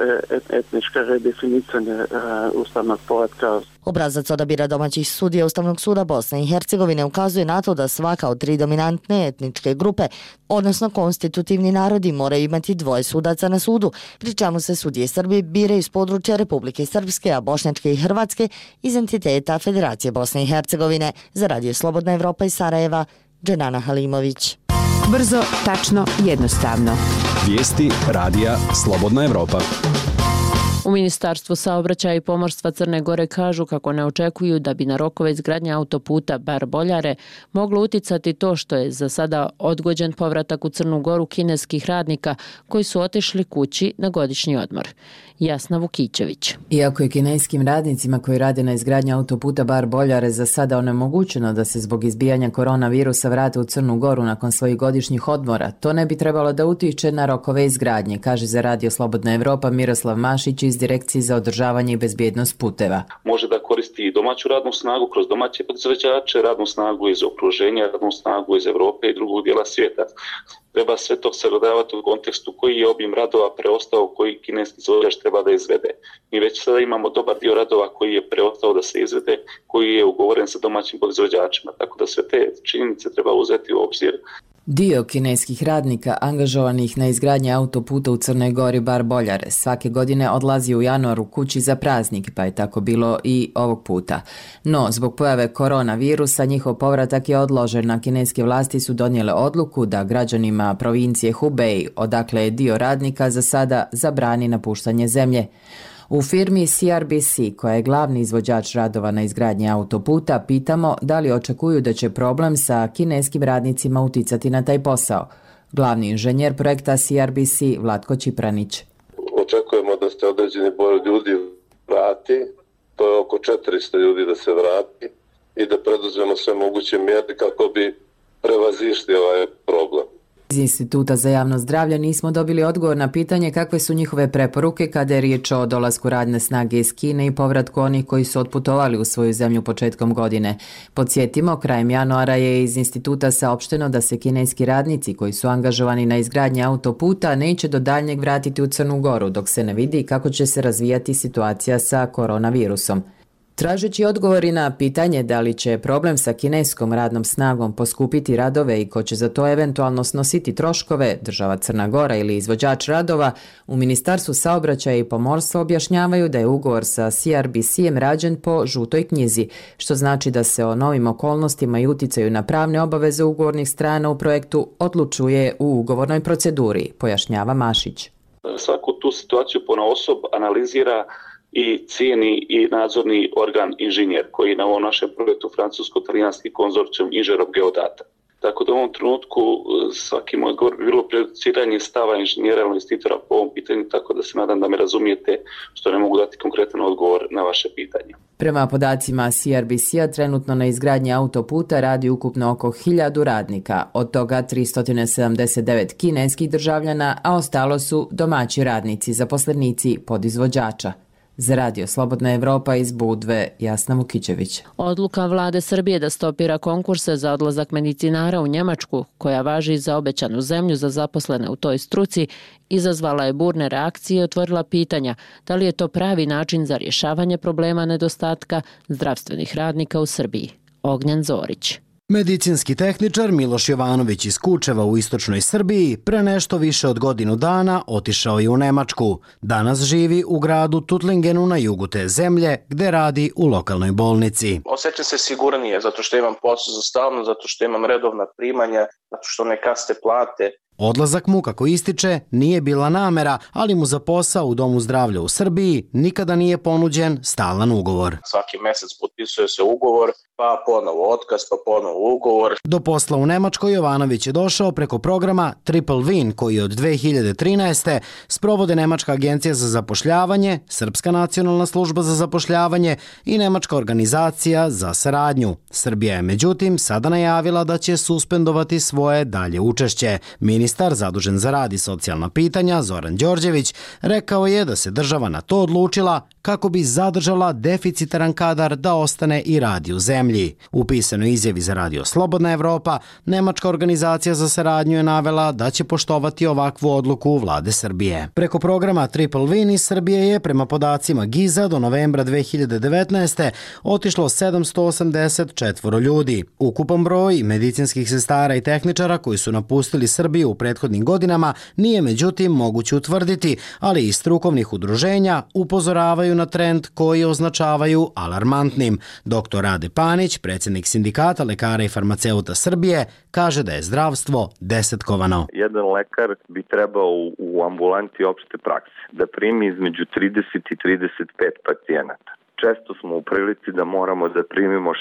etničke redefinicanje ustavnog poretka. Obrazac odabira domaćih sudija Ustavnog suda Bosne i Hercegovine ukazuje na to da svaka od 3 dominantne etničke grupe, odnosno konstitutivni narodi, moraju imati 2 sudaca na sudu, pri čemu se sudije Srbije biraju iz područja Republike Srpske, a bošnjačke i hrvatske iz entiteta Federacije Bosne i Hercegovine. Za Radio Slobodna Evropa iz Sarajeva, Dženana Halimović. Brzo, tačno, jednostavno. Vijesti radija Slobodna Evropa. U Ministarstvu saobraćaja i pomorstva Crne Gore kažu kako ne očekuju da bi na rokove izgradnje autoputa Bar-Boljare moglo uticati to što je za sada odgođen povratak u Crnu Goru kineskih radnika koji su otišli kući na godišnji odmor. Jasna Vukićević. Iako je kineskim radnicima koji rade na izgradnji autoputa Bar-Boljare za sada onemogućeno da se zbog izbijanja koronavirusa vrate u Crnu Goru nakon svojih godišnjih odmora, to ne bi trebalo da utiče na rokove izgradnje, kaže za Radio Slobodna Evropa Miroslav Mašić iz Direkcije za održavanje i bezbjednost puteva. Može da koristi domaću radnu snagu kroz domaće proizvođače, radnu snagu iz okruženja, radnu snagu iz Evrope i drugog dijela svijeta. Treba sve to sagledavati u kontekstu koji je obim radova preostao koji kineski izvođač treba da izvede. Mi već sada imamo dobar dio radova koji je preostao da se izvede, koji je ugovoren sa domaćim proizvođačima, tako da sve te činjenice treba uzeti u obzir. Dio kineskih radnika angažovanih na izgradnji autoputa u Crnoj Gori Bar-Boljare svake godine odlazi u januaru kući za praznik, pa je tako bilo i ovog puta. No, zbog pojave koronavirusa njihov povratak je odložen, a kineske vlasti su donijele odluku da građanima provincije Hubei, odakle je dio radnika, za sada zabrani napuštanje zemlje. U firmi CRBC, koja je glavni izvođač radova na izgradnji autoputa, pitamo da li očekuju da će problem sa kineskim radnicima uticati na taj posao. Glavni inženjer projekta CRBC Vlatko Čipranić. Očekujemo da se određeni broj ljudi vrati, to je oko 400 ljudi da se vrati i da preduzmemo sve moguće mjere kako bi prevazišli ovaj problem. Iz Instituta za javno zdravlje nismo dobili odgovor na pitanje kakve su njihove preporuke kada je riječ o dolasku radne snage iz Kine i povratku onih koji su otputovali u svoju zemlju početkom godine. Podsjetimo, krajem januara je iz instituta saopšteno da se kineski radnici koji su angažovani na izgradnji autoputa neće do daljnjeg vratiti u Crnu Goru, dok se ne vidi kako će se razvijati situacija sa koronavirusom. Tražeći odgovori na pitanje da li će problem sa kineskom radnom snagom poskupiti radove i ko će za to eventualno snositi troškove, država Crna Gora ili izvođač radova, u Ministarstvu saobraćaja i pomorstva objašnjavaju da je ugovor sa CRBC-em rađen po žutoj knjizi, što znači da se o novim okolnostima i uticaju na pravne obaveze ugovornih strana u projektu odlučuje u ugovornoj proceduri, pojašnjava Mašić. Svaku tu situaciju ponaosob analizira i cijeni i nadzorni organ inženjer koji na ovom našem projektu francusko-talijanski konzorcijum inženjerov geodata. Tako da u ovom trenutku svaki moj odgovor bi bilo prejudiciranje stava inženjera ili investitora po ovom pitanju, tako da se nadam da me razumijete što ne mogu dati konkretan odgovor na vaše pitanje. Prema podacima CRBC-a trenutno na izgradnji autoputa radi ukupno oko 1000 radnika, od toga 379 kineskih državljana, a ostalo su domaći radnici, zaposlenici podizvođača. Za Radio Slobodna Evropa iz Budve, Jasna Vukićević. Odluka vlade Srbije da stopira konkurse za odlazak medicinara u Njemačku, koja važi za obećanu zemlju za zaposlene u toj struci, izazvala je burne reakcije i otvorila pitanja da li je to pravi način za rješavanje problema nedostatka zdravstvenih radnika u Srbiji. Ognjen Zorić. Medicinski tehničar Miloš Jovanović iz Kučeva u istočnoj Srbiji pre nešto više od godinu dana otišao je u Nemačku. Danas živi u gradu Tuttlingenu na jugu te zemlje, gde radi u lokalnoj bolnici. Osjećam se sigurnije zato što imam posao za stalno, zato što imam redovna primanja, zato što ne kasne plate. Odlazak mu, kako ističe, nije bila namera, ali mu za posao u Domu zdravlja u Srbiji nikada nije ponuđen stalan ugovor. Svaki mesec potpisuje se ugovor, pa ponovo otkaz, pa ponovo ugovor. Do posla u Nemačkoj Jovanović je došao preko programa Triple Win, koji od 2013. sprovode Nemačka agencija za zapošljavanje, Srpska nacionalna služba za zapošljavanje i Nemačka organizacija za saradnju. Srbija je međutim sada najavila da će suspendovati svoje dalje učešće. Ministar zadužen za rad i socijalna pitanja Zoran Đorđević rekao je da se država na to odlučila kako bi zadržala deficitaran kadar da ostane i radi u zemlji. U pisanoj izjavi za Radio Slobodna Evropa, Nemačka organizacija za saradnju je navela da će poštovati ovakvu odluku vlade Srbije. Preko programa Triple Win iz Srbije je, prema podacima GIZ-a, do novembra 2019. otišlo 784 ljudi. Ukupan broj medicinskih sestara i tehničara koji su napustili Srbiju u prethodnim godinama nije međutim moguće utvrditi, ali i strukovnih udruženja upozoravaju na trend koji označavaju alarmantnim. Dr. Rade Panić, predsjednik Sindikata lekara i farmaceuta Srbije, kaže da je zdravstvo desetkovano. Jedan lekar bi trebao u ambulanti opšte prakse da primi između 30 i 35 pacijenata. Često smo u prilici da moramo da primimo 60,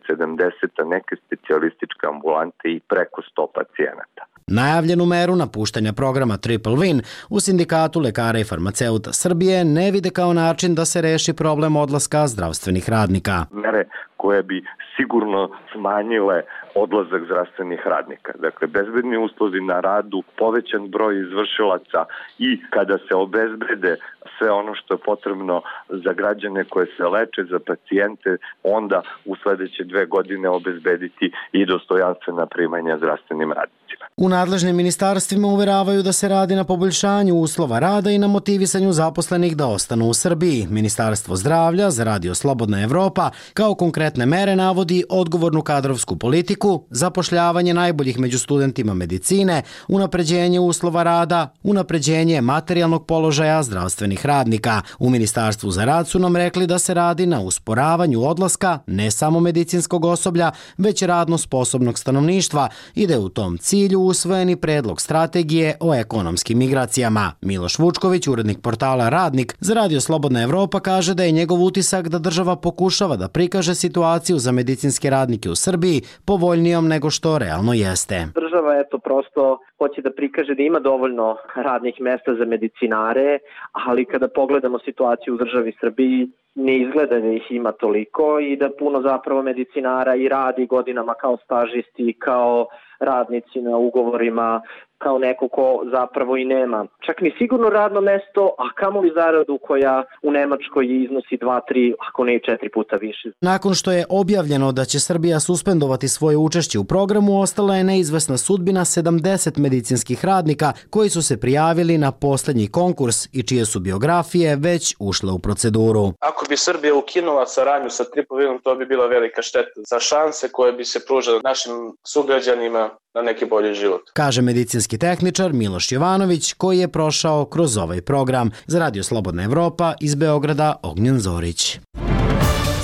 70, a neke specijalističke ambulante i preko 100 pacijenata. Najavljenu meru napuštanja programa Triple Win u Sindikatu lekara i farmaceuta Srbije ne vide kao način da se reši problem odlaska zdravstvenih radnika. Mere koje bi sigurno smanjile odlazak zdravstvenih radnika. Dakle, bezbedni uslovi na radu, povećan broj izvršilaca i kada se obezbede sve ono što je potrebno za građane koje se leče, za pacijente, onda u sledeće 2 godine obezbediti i dostojanstvena primanja zdravstvenim radnicima. U nadležnim ministarstvima uveravaju da se radi na poboljšanju uslova rada i na motivisanju zaposlenih da ostanu u Srbiji. Ministarstvo zdravlja za Radio Slobodna Evropa kao konkretne mere navodi odgovornu kadrovsku politiku, zapošljavanje najboljih među studentima medicine, unapređenje uslova rada, unapređenje materijalnog položaja zdravstvenih radnika. U Ministarstvu za rad su nam rekli da se radi na usporavanju odlaska ne samo medicinskog osoblja, već radno sposobnog stanovništva i da je u tom cilju usvojeni predlog strategije o ekonomskim migracijama. Miloš Vučković, urednik portala Radnik za Radio Slobodna Evropa, kaže da je njegov utisak da država pokušava da prikaže situaciju za medicinske radnike u Srbiji povoljnijom nego što realno jeste. Država prosto hoće da prikaže da ima dovoljno radnih mesta za medicinare, ali kada pogledamo situaciju u državi Srbiji, ne izgleda da ih ima toliko i da puno zapravo medicinara i radi godinama kao stažisti, kao radnici na ugovorima, kao neko ko zapravo i nema čak ni sigurno radno mesto, a kamoli zaradu koja u Nemačkoj iznosi 2, 3, ako ne i 4 puta više. Nakon što je objavljeno da će Srbija suspendovati svoje učešće u programu, ostala je neizvesna sudbina 70 medicinskih radnika koji su se prijavili na posljednji konkurs i čije su biografije već ušle u proceduru. Ako bi Srbija ukinula saradnju sa Triple Winom, to bi bila velika šteta za šanse koje bi se pružale našim sugrađanima na neki bolji život. Kaže medicinski tehničar Miloš Jovanović, koji je prošao kroz ovaj program. Za Radio Slobodna Evropa iz Beograda, Ognjen Zorić.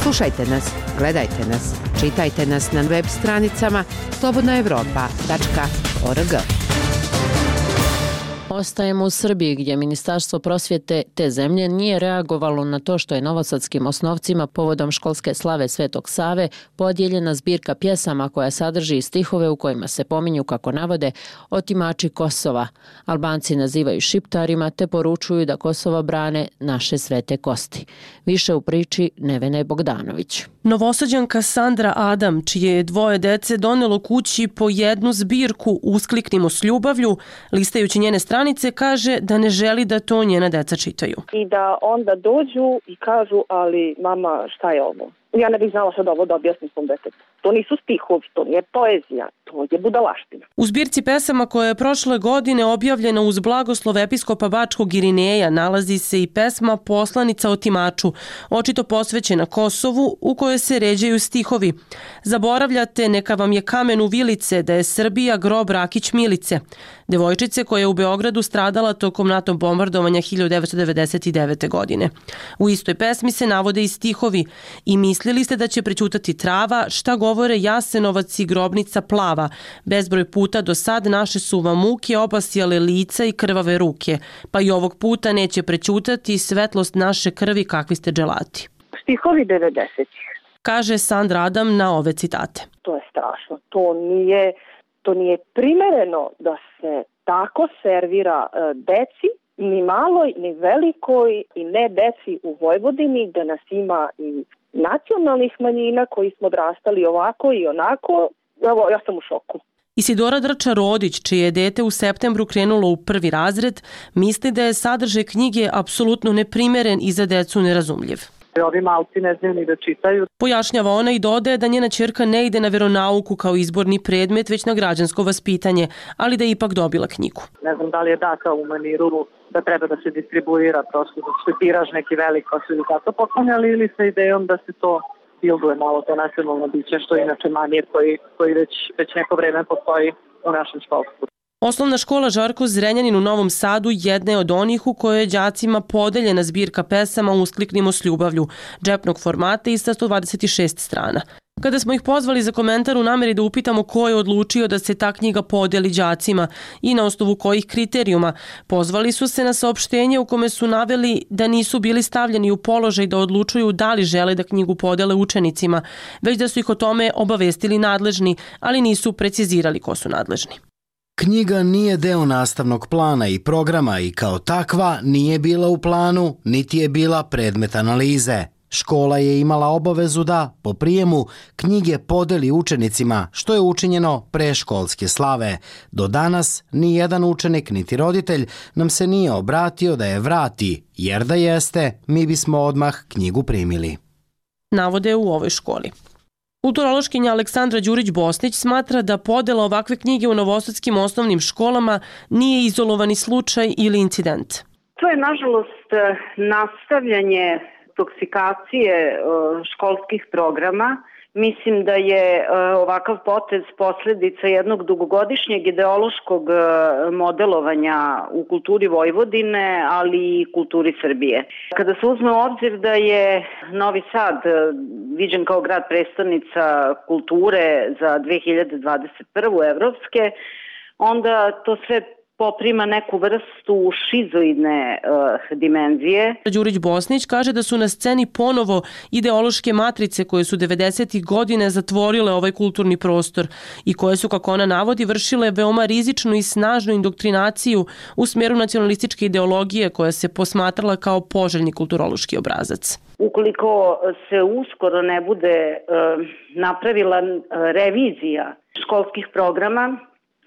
Slušajte nas, gledajte nas, čitajte nas na web stranicama slobodnaevropa.org. Ostajemo u Srbiji gdje Ministarstvo prosvjete te zemlje nije reagovalo na to što je novosadskim osnovcima povodom školske slave Svetog Save podijeljena zbirka pjesama koja sadrži stihove u kojima se pominju, kako navode, otimači Kosova. Albanci nazivaju šiptarima te poručuju da Kosovo brane naše svete kosti. Više u priči Nevene Bogdanović. Novosađanka Sandra Adam, čije je 2 dece donelo kući po jednu zbirku Uskliknimo s ljubavlju, listajući njene stranice, kaže da ne želi da to njena deca čitaju. I da onda dođu i kažu, ali mama, šta je ovo? Ja ne bih znala sad ovo da objasnim svom detetu. To nisu stihovi, to nije poezija, to je budalaština. U zbirci pesama koja je prošle godine objavljena uz blagoslov episkopa Bačkog Irineja nalazi se i pesma Poslanica otimaču, očito posvećena Kosovu, u kojoj se ređaju stihovi. Zaboravljate, neka vam je kamen u vilice, da je Srbija grob Rakić Milice, devojčice koja je u Beogradu stradala tokom NATO bombardovanja 1999. godine. U istoj pesmi se navode i stihovi i mislili ste da će prećutati trava, šta govore Jasenovac i grobnica plava, bezbroj puta do sad naše su vam muke obasjale lica i krvave ruke, pa i ovog puta neće prećutati svetlost naše krvi kakvi ste dželati. Stihovi 90-ih. Kaže Sandra Adam na ove citate. To je strašno. To nije primereno da se tako servira deci, ni maloj, ni velikoj i ne deci u Vojvodini, gde nas ima i nacionalnih manjina koji smo odrastali ovako i onako. Evo, ja sam u šoku. Isidora Drča-Rodić, čije je dete u septembru krenulo u 1. razred, misli da je sadržaj knjige apsolutno neprimeren i za decu nerazumljiv. Ovi malci ne znaju ni da čitaju. Pojašnjava ona i dodaje da njena ćerka ne ide na veronauku kao izborni predmet, već na građansko vaspitanje, ali da je ipak dobila knjigu. Ne znam da li je data u maniru da treba da se distribuira, prosto da se tiraž neki velik pa su ili tako poklonjali, ili sa idejom da se to bilduje malo to nacionalno biće, što je inače manir koji već neko vreme postoji u našem školstvu. Osnovna škola Žarko Zrenjanin u Novom Sadu jedna je od onih u kojoj je đacima podeljena zbirka pesama Uskliknimo s ljubavlju, džepnog formata i sa 126 strana. Kada smo ih pozvali za komentar u nameri da upitamo ko je odlučio da se ta knjiga podeli đacima i na osnovu kojih kriterijuma, pozvali su se na saopštenje u kome su naveli da nisu bili stavljeni u položaj da odlučuju da li žele da knjigu podele učenicima, već da su ih o tome obavestili nadležni, ali nisu precizirali ko su nadležni. Knjiga nije deo nastavnog plana i programa i kao takva nije bila u planu, niti je bila predmet analize. Škola je imala obavezu da, po prijemu, knjige podeli učenicima, što je učinjeno pre školske slave. Do danas ni jedan učenik niti roditelj nam se nije obratio da je vrati, jer da jeste, mi bismo odmah knjigu primili. Navode u ovoj školi. Kulturološkinja Aleksandra Đurić-Bosnić smatra da podela ovakve knjige u novosadskim osnovnim školama nije izolovani slučaj ili incident. To je, nažalost, nastavljanje toksikacije školskih programa. Mislim da je ovakav potez posledica jednog dugogodišnjeg ideološkog modelovanja u kulturi Vojvodine, ali i kulturi Srbije. Kada se uzme u obzir da je Novi Sad viđen kao grad prestolnica kulture za 2021. evropske, onda to sve poprima neku vrstu šizoidne dimenzije. Đurić-Bosnić kaže da su na sceni ponovo ideološke matrice koje su 90. godine zatvorile ovaj kulturni prostor i koje su, kako ona navodi, vršile veoma rizičnu i snažnu indoktrinaciju u smjeru nacionalističke ideologije koja se posmatrala kao poželjni kulturološki obrazac. Ukoliko se uskoro ne bude napravila revizija školskih programa,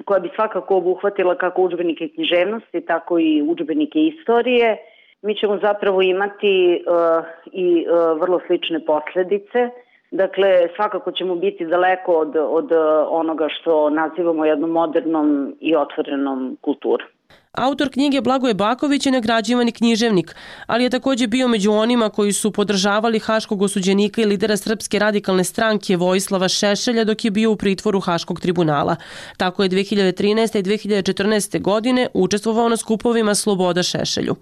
koja bi svakako obuhvatila kako udžbenike književnosti, tako i udžbenike istorije, mi ćemo zapravo imati i vrlo slične posljedice. Dakle, svakako ćemo biti daleko od onoga što nazivamo jednom modernom i otvorenom kulturom. Autor knjige Blagoje Baković je nagrađivani književnik, ali je također bio među onima koji su podržavali haškog osuđenika i lidera Srpske radikalne stranke Vojislava Šešelja dok je bio u pritvoru Haškog tribunala. Tako je 2013. i 2014. godine učestvovao na skupovima Sloboda Šešelju.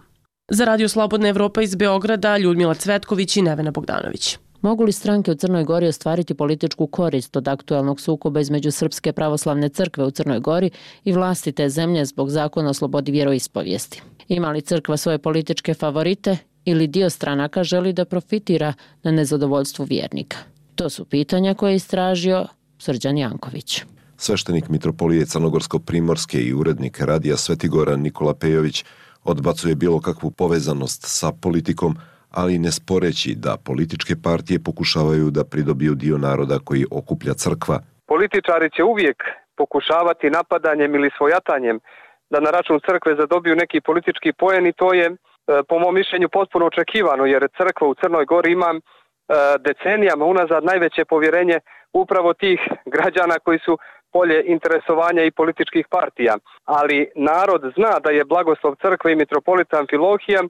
Za Radio Slobodna Evropa iz Beograda, Ljudmila Cvetković i Nevena Bogdanović. Mogu li stranke u Crnoj Gori ostvariti političku korist od aktualnog sukoba između Srpske pravoslavne crkve u Crnoj Gori i vlasti te zemlje zbog zakona o slobodi vjeroispovijesti? Ima li crkva svoje političke favorite ili dio stranaka želi da profitira na nezadovoljstvu vjernika? To su pitanja koje je istražio Srđan Janković. Sveštenik mitropolije Crnogorsko-primorske i urednik Radija Svetigora Nikola Pejović odbacuje bilo kakvu povezanost sa politikom, ali ne sporeći da političke partije pokušavaju da pridobiju dio naroda koji okuplja crkva. Političari će uvijek pokušavati napadanjem ili svojatanjem da na račun crkve zadobiju neki politički poen i to je po mom mišljenju potpuno očekivano, jer crkva u Crnoj Gori ima decenijama unazad najveće povjerenje upravo tih građana koji su polje interesovanja i političkih partija. Ali narod zna da je blagoslov crkve i mitropolita Amfilohija,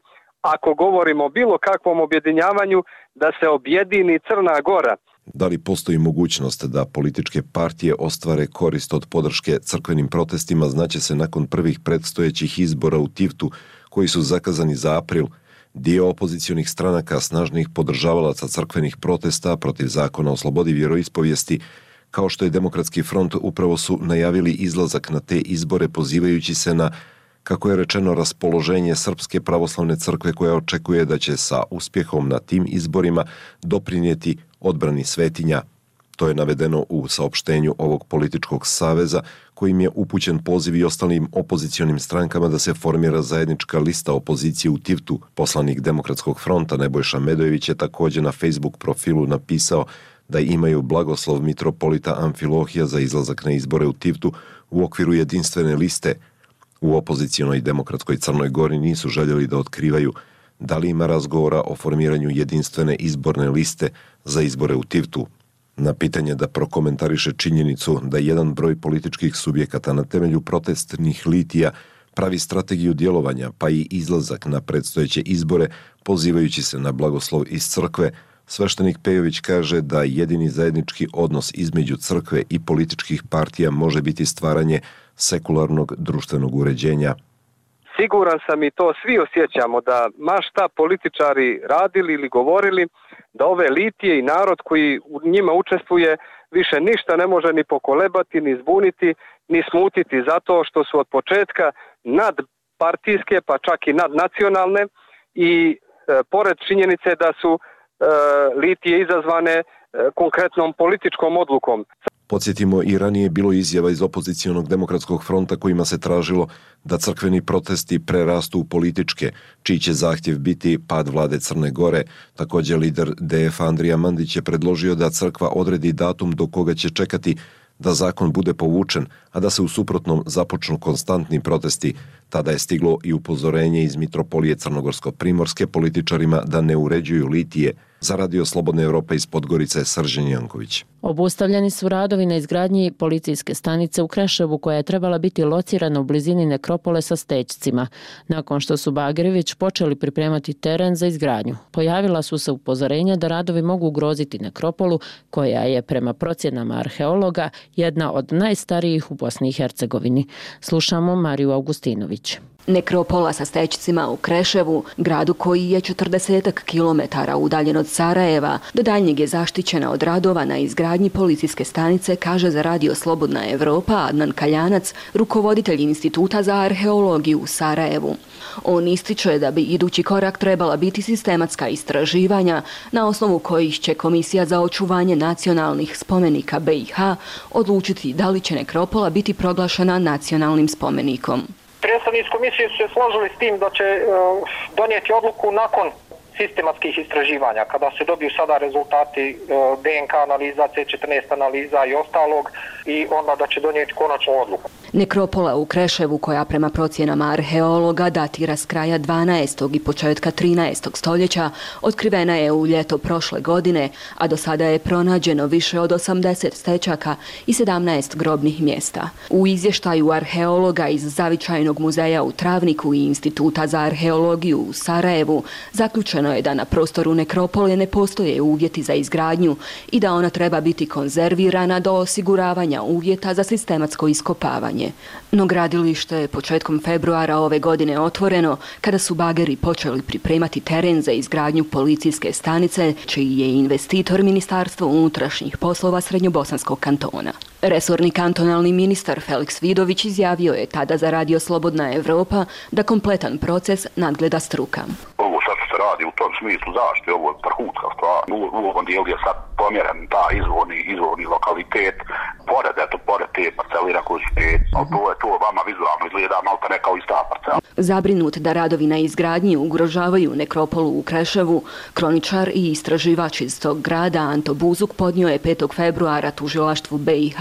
ako govorimo o bilo kakvom objedinjavanju, da se objedini Crna Gora. Da li postoji mogućnost da političke partije ostvare korist od podrške crkvenim protestima, znaće se nakon prvih predstojećih izbora u Tivtu, koji su zakazani za april. Dio opozicionih stranaka snažnih podržavalaca crkvenih protesta protiv zakona o slobodi vjeroispovijesti, kao što je Demokratski front, upravo su najavili izlazak na te izbore pozivajući se na, kako je rečeno, raspoloženje Srpske pravoslavne crkve koja očekuje da će sa uspjehom na tim izborima doprinijeti odbrani svetinja. To je navedeno u saopštenju ovog političkog saveza kojim je upućen poziv i ostalim opozicionim strankama da se formira zajednička lista opozicije u Tivtu. Poslanik Demokratskog fronta Nebojša Medojević je također na Facebook profilu napisao da imaju blagoslov mitropolita Amfilohija za izlazak na izbore u Tivtu u okviru jedinstvene liste. U opozicionoj Demokratskoj Crnoj Gori nisu željeli da otkrivaju da li ima razgovora o formiranju jedinstvene izborne liste za izbore u Tivtu. Na pitanje da prokomentariše činjenicu da jedan broj političkih subjekata na temelju protestnih litija pravi strategiju djelovanja pa i izlazak na predstojeće izbore pozivajući se na blagoslov iz crkve, sveštenik Pejović kaže da jedini zajednički odnos između crkve i političkih partija može biti stvaranje sekularnog društvenog uređenja. Siguran sam i to svi osjećamo da ma šta političari radili ili govorili, da ove litije i narod koji u njima učestvuje više ništa ne može ni pokolebati, ni zbuniti, ni smutiti zato što su od početka nadpartijske pa čak i nadnacionalne i pored činjenice da su litije izazvane konkretnom političkom odlukom. Podsjetimo, i ranije bilo izjava iz opozicionog Demokratskog fronta kojima se tražilo da crkveni protesti prerastu u političke, čiji će zahtjev biti pad vlade Crne Gore. Također lider DF Andrija Mandić je predložio da crkva odredi datum do koga će čekati da zakon bude povučen, a da se u suprotnom započnu konstantni protesti. Tada je stiglo i upozorenje iz Mitropolije Crnogorsko-Primorske političarima da ne uređuju litije. Za Radio Slobodne Evrope iz Podgorice, Srđan Janković. Obustavljeni su radovi na izgradnji policijske stanice u Kreševu koja je trebala biti locirana u blizini nekropole sa stećcima. Nakon što su bageri već počeli pripremati teren za izgradnju, pojavila su se upozorenja da radovi mogu ugroziti nekropolu koja je prema procjenama arheologa jedna od najstarijih u Bosni i Hercegovini. Slušamo Mariju Augustinović. Nekropola sa stećcima u Kreševu, gradu koji je 40 kilometara udaljen od Sarajeva, do daljnjeg je zaštićena od radova na izgradnji policijske stanice, kaže za Radio Slobodna Evropa Adnan Kaljanac, rukovoditelj Instituta za arheologiju u Sarajevu. On ističe da bi idući korak trebala biti sistematska istraživanja na osnovu kojih će Komisija za očuvanje nacionalnih spomenika BiH odlučiti da li će nekropola biti proglašena nacionalnim spomenikom. Predstavnici komisije su se složili s tim da će donijeti odluku nakon sistematskih istraživanja, kada se dobiju sada rezultati DNK analiza, C14 analiza i ostalog, i onda da će donijeti konačnu odluku. Nekropola u Kreševu, koja prema procjenama arheologa datira s kraja 12. i početka 13. stoljeća, otkrivena je u ljeto prošle godine, a do sada je pronađeno više od 80 stečaka i 17 grobnih mjesta. U izvještaju arheologa iz Zavičajnog muzeja u Travniku i Instituta za arheologiju u Sarajevu zaključeno je da na prostoru nekropole ne postoje uvjeti za izgradnju i da ona treba biti konzervirana do osiguravanja uvjeta za sistematsko iskopavanje. No gradilište je početkom februara ove godine otvoreno kada su bageri počeli pripremati teren za izgradnju policijske stanice, čiji je investitor Ministarstvo unutrašnjih poslova Srednjobosanskog kantona. Resorni kantonalni ministar Feliks Vidović izjavio je tada za Radio Slobodna Evropa da kompletan proces nadgleda struka. Ovo sad se radi u tom smislu zaštite, ovo je vrhunska stvar. U ovom dijelu je sad pomjeren ta izvorni lokalitet, pored te parcelira koju su to vama vizualno izgleda malo ne kao ista parcela. Zabrinut da radovi na izgradnji ugrožavaju nekropolu u Kreševu, kroničar i istraživač iz tog grada Anto Buzuk podnio je 5. februara tužilaštvu BiH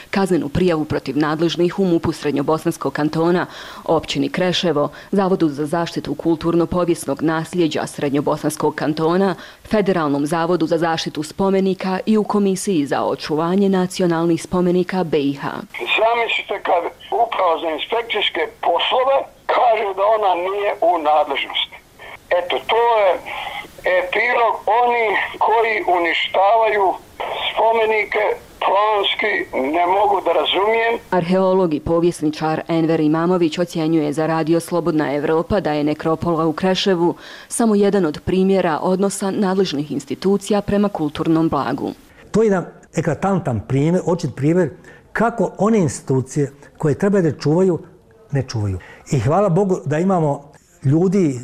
kaznenu prijavu protiv nadležnih u MUP-u Srednjobosanskog kantona, općini Kreševo, Zavodu za zaštitu kulturno-povijesnog nasljeđa Srednjobosanskog kantona, Federalnom zavodu za zaštitu spomenika i u Komisiji za očuvanje nacionalnih spomenika BiH. Zamislite kad Uprava za inspekcijske poslove kaže da ona nije u nadležnosti. Eto, to je epilog oni koji uništavaju spomenike planski, ne mogu da razumijem. Arheolog i povjesničar Enver Imamović ocjenjuje za Radio Slobodna Evropa da je nekropola u Kreševu samo jedan od primjera odnosa nadležnih institucija prema kulturnom blagu. To je jedan eklatantan primjer, očit primjer kako one institucije koje treba da čuvaju, ne čuvaju. I hvala Bogu da imamo ljudi,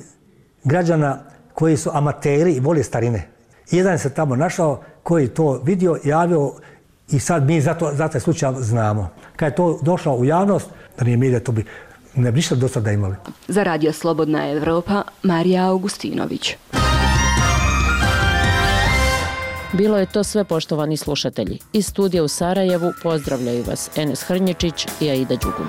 građana koji su amateri i vole starine. Jedan se tamo našao koji to vidio, javio i sad mi za taj slučaj znamo. Kad je to došlo u javnost, da nije medija, to bi ne bi ništa do sada imali. Za Radio Slobodna Evropa, Marija Augustinović. Bilo je to sve, poštovani slušatelji. Iz studija u Sarajevu pozdravljaju vas Enes Hrnječić i Aida Đugum.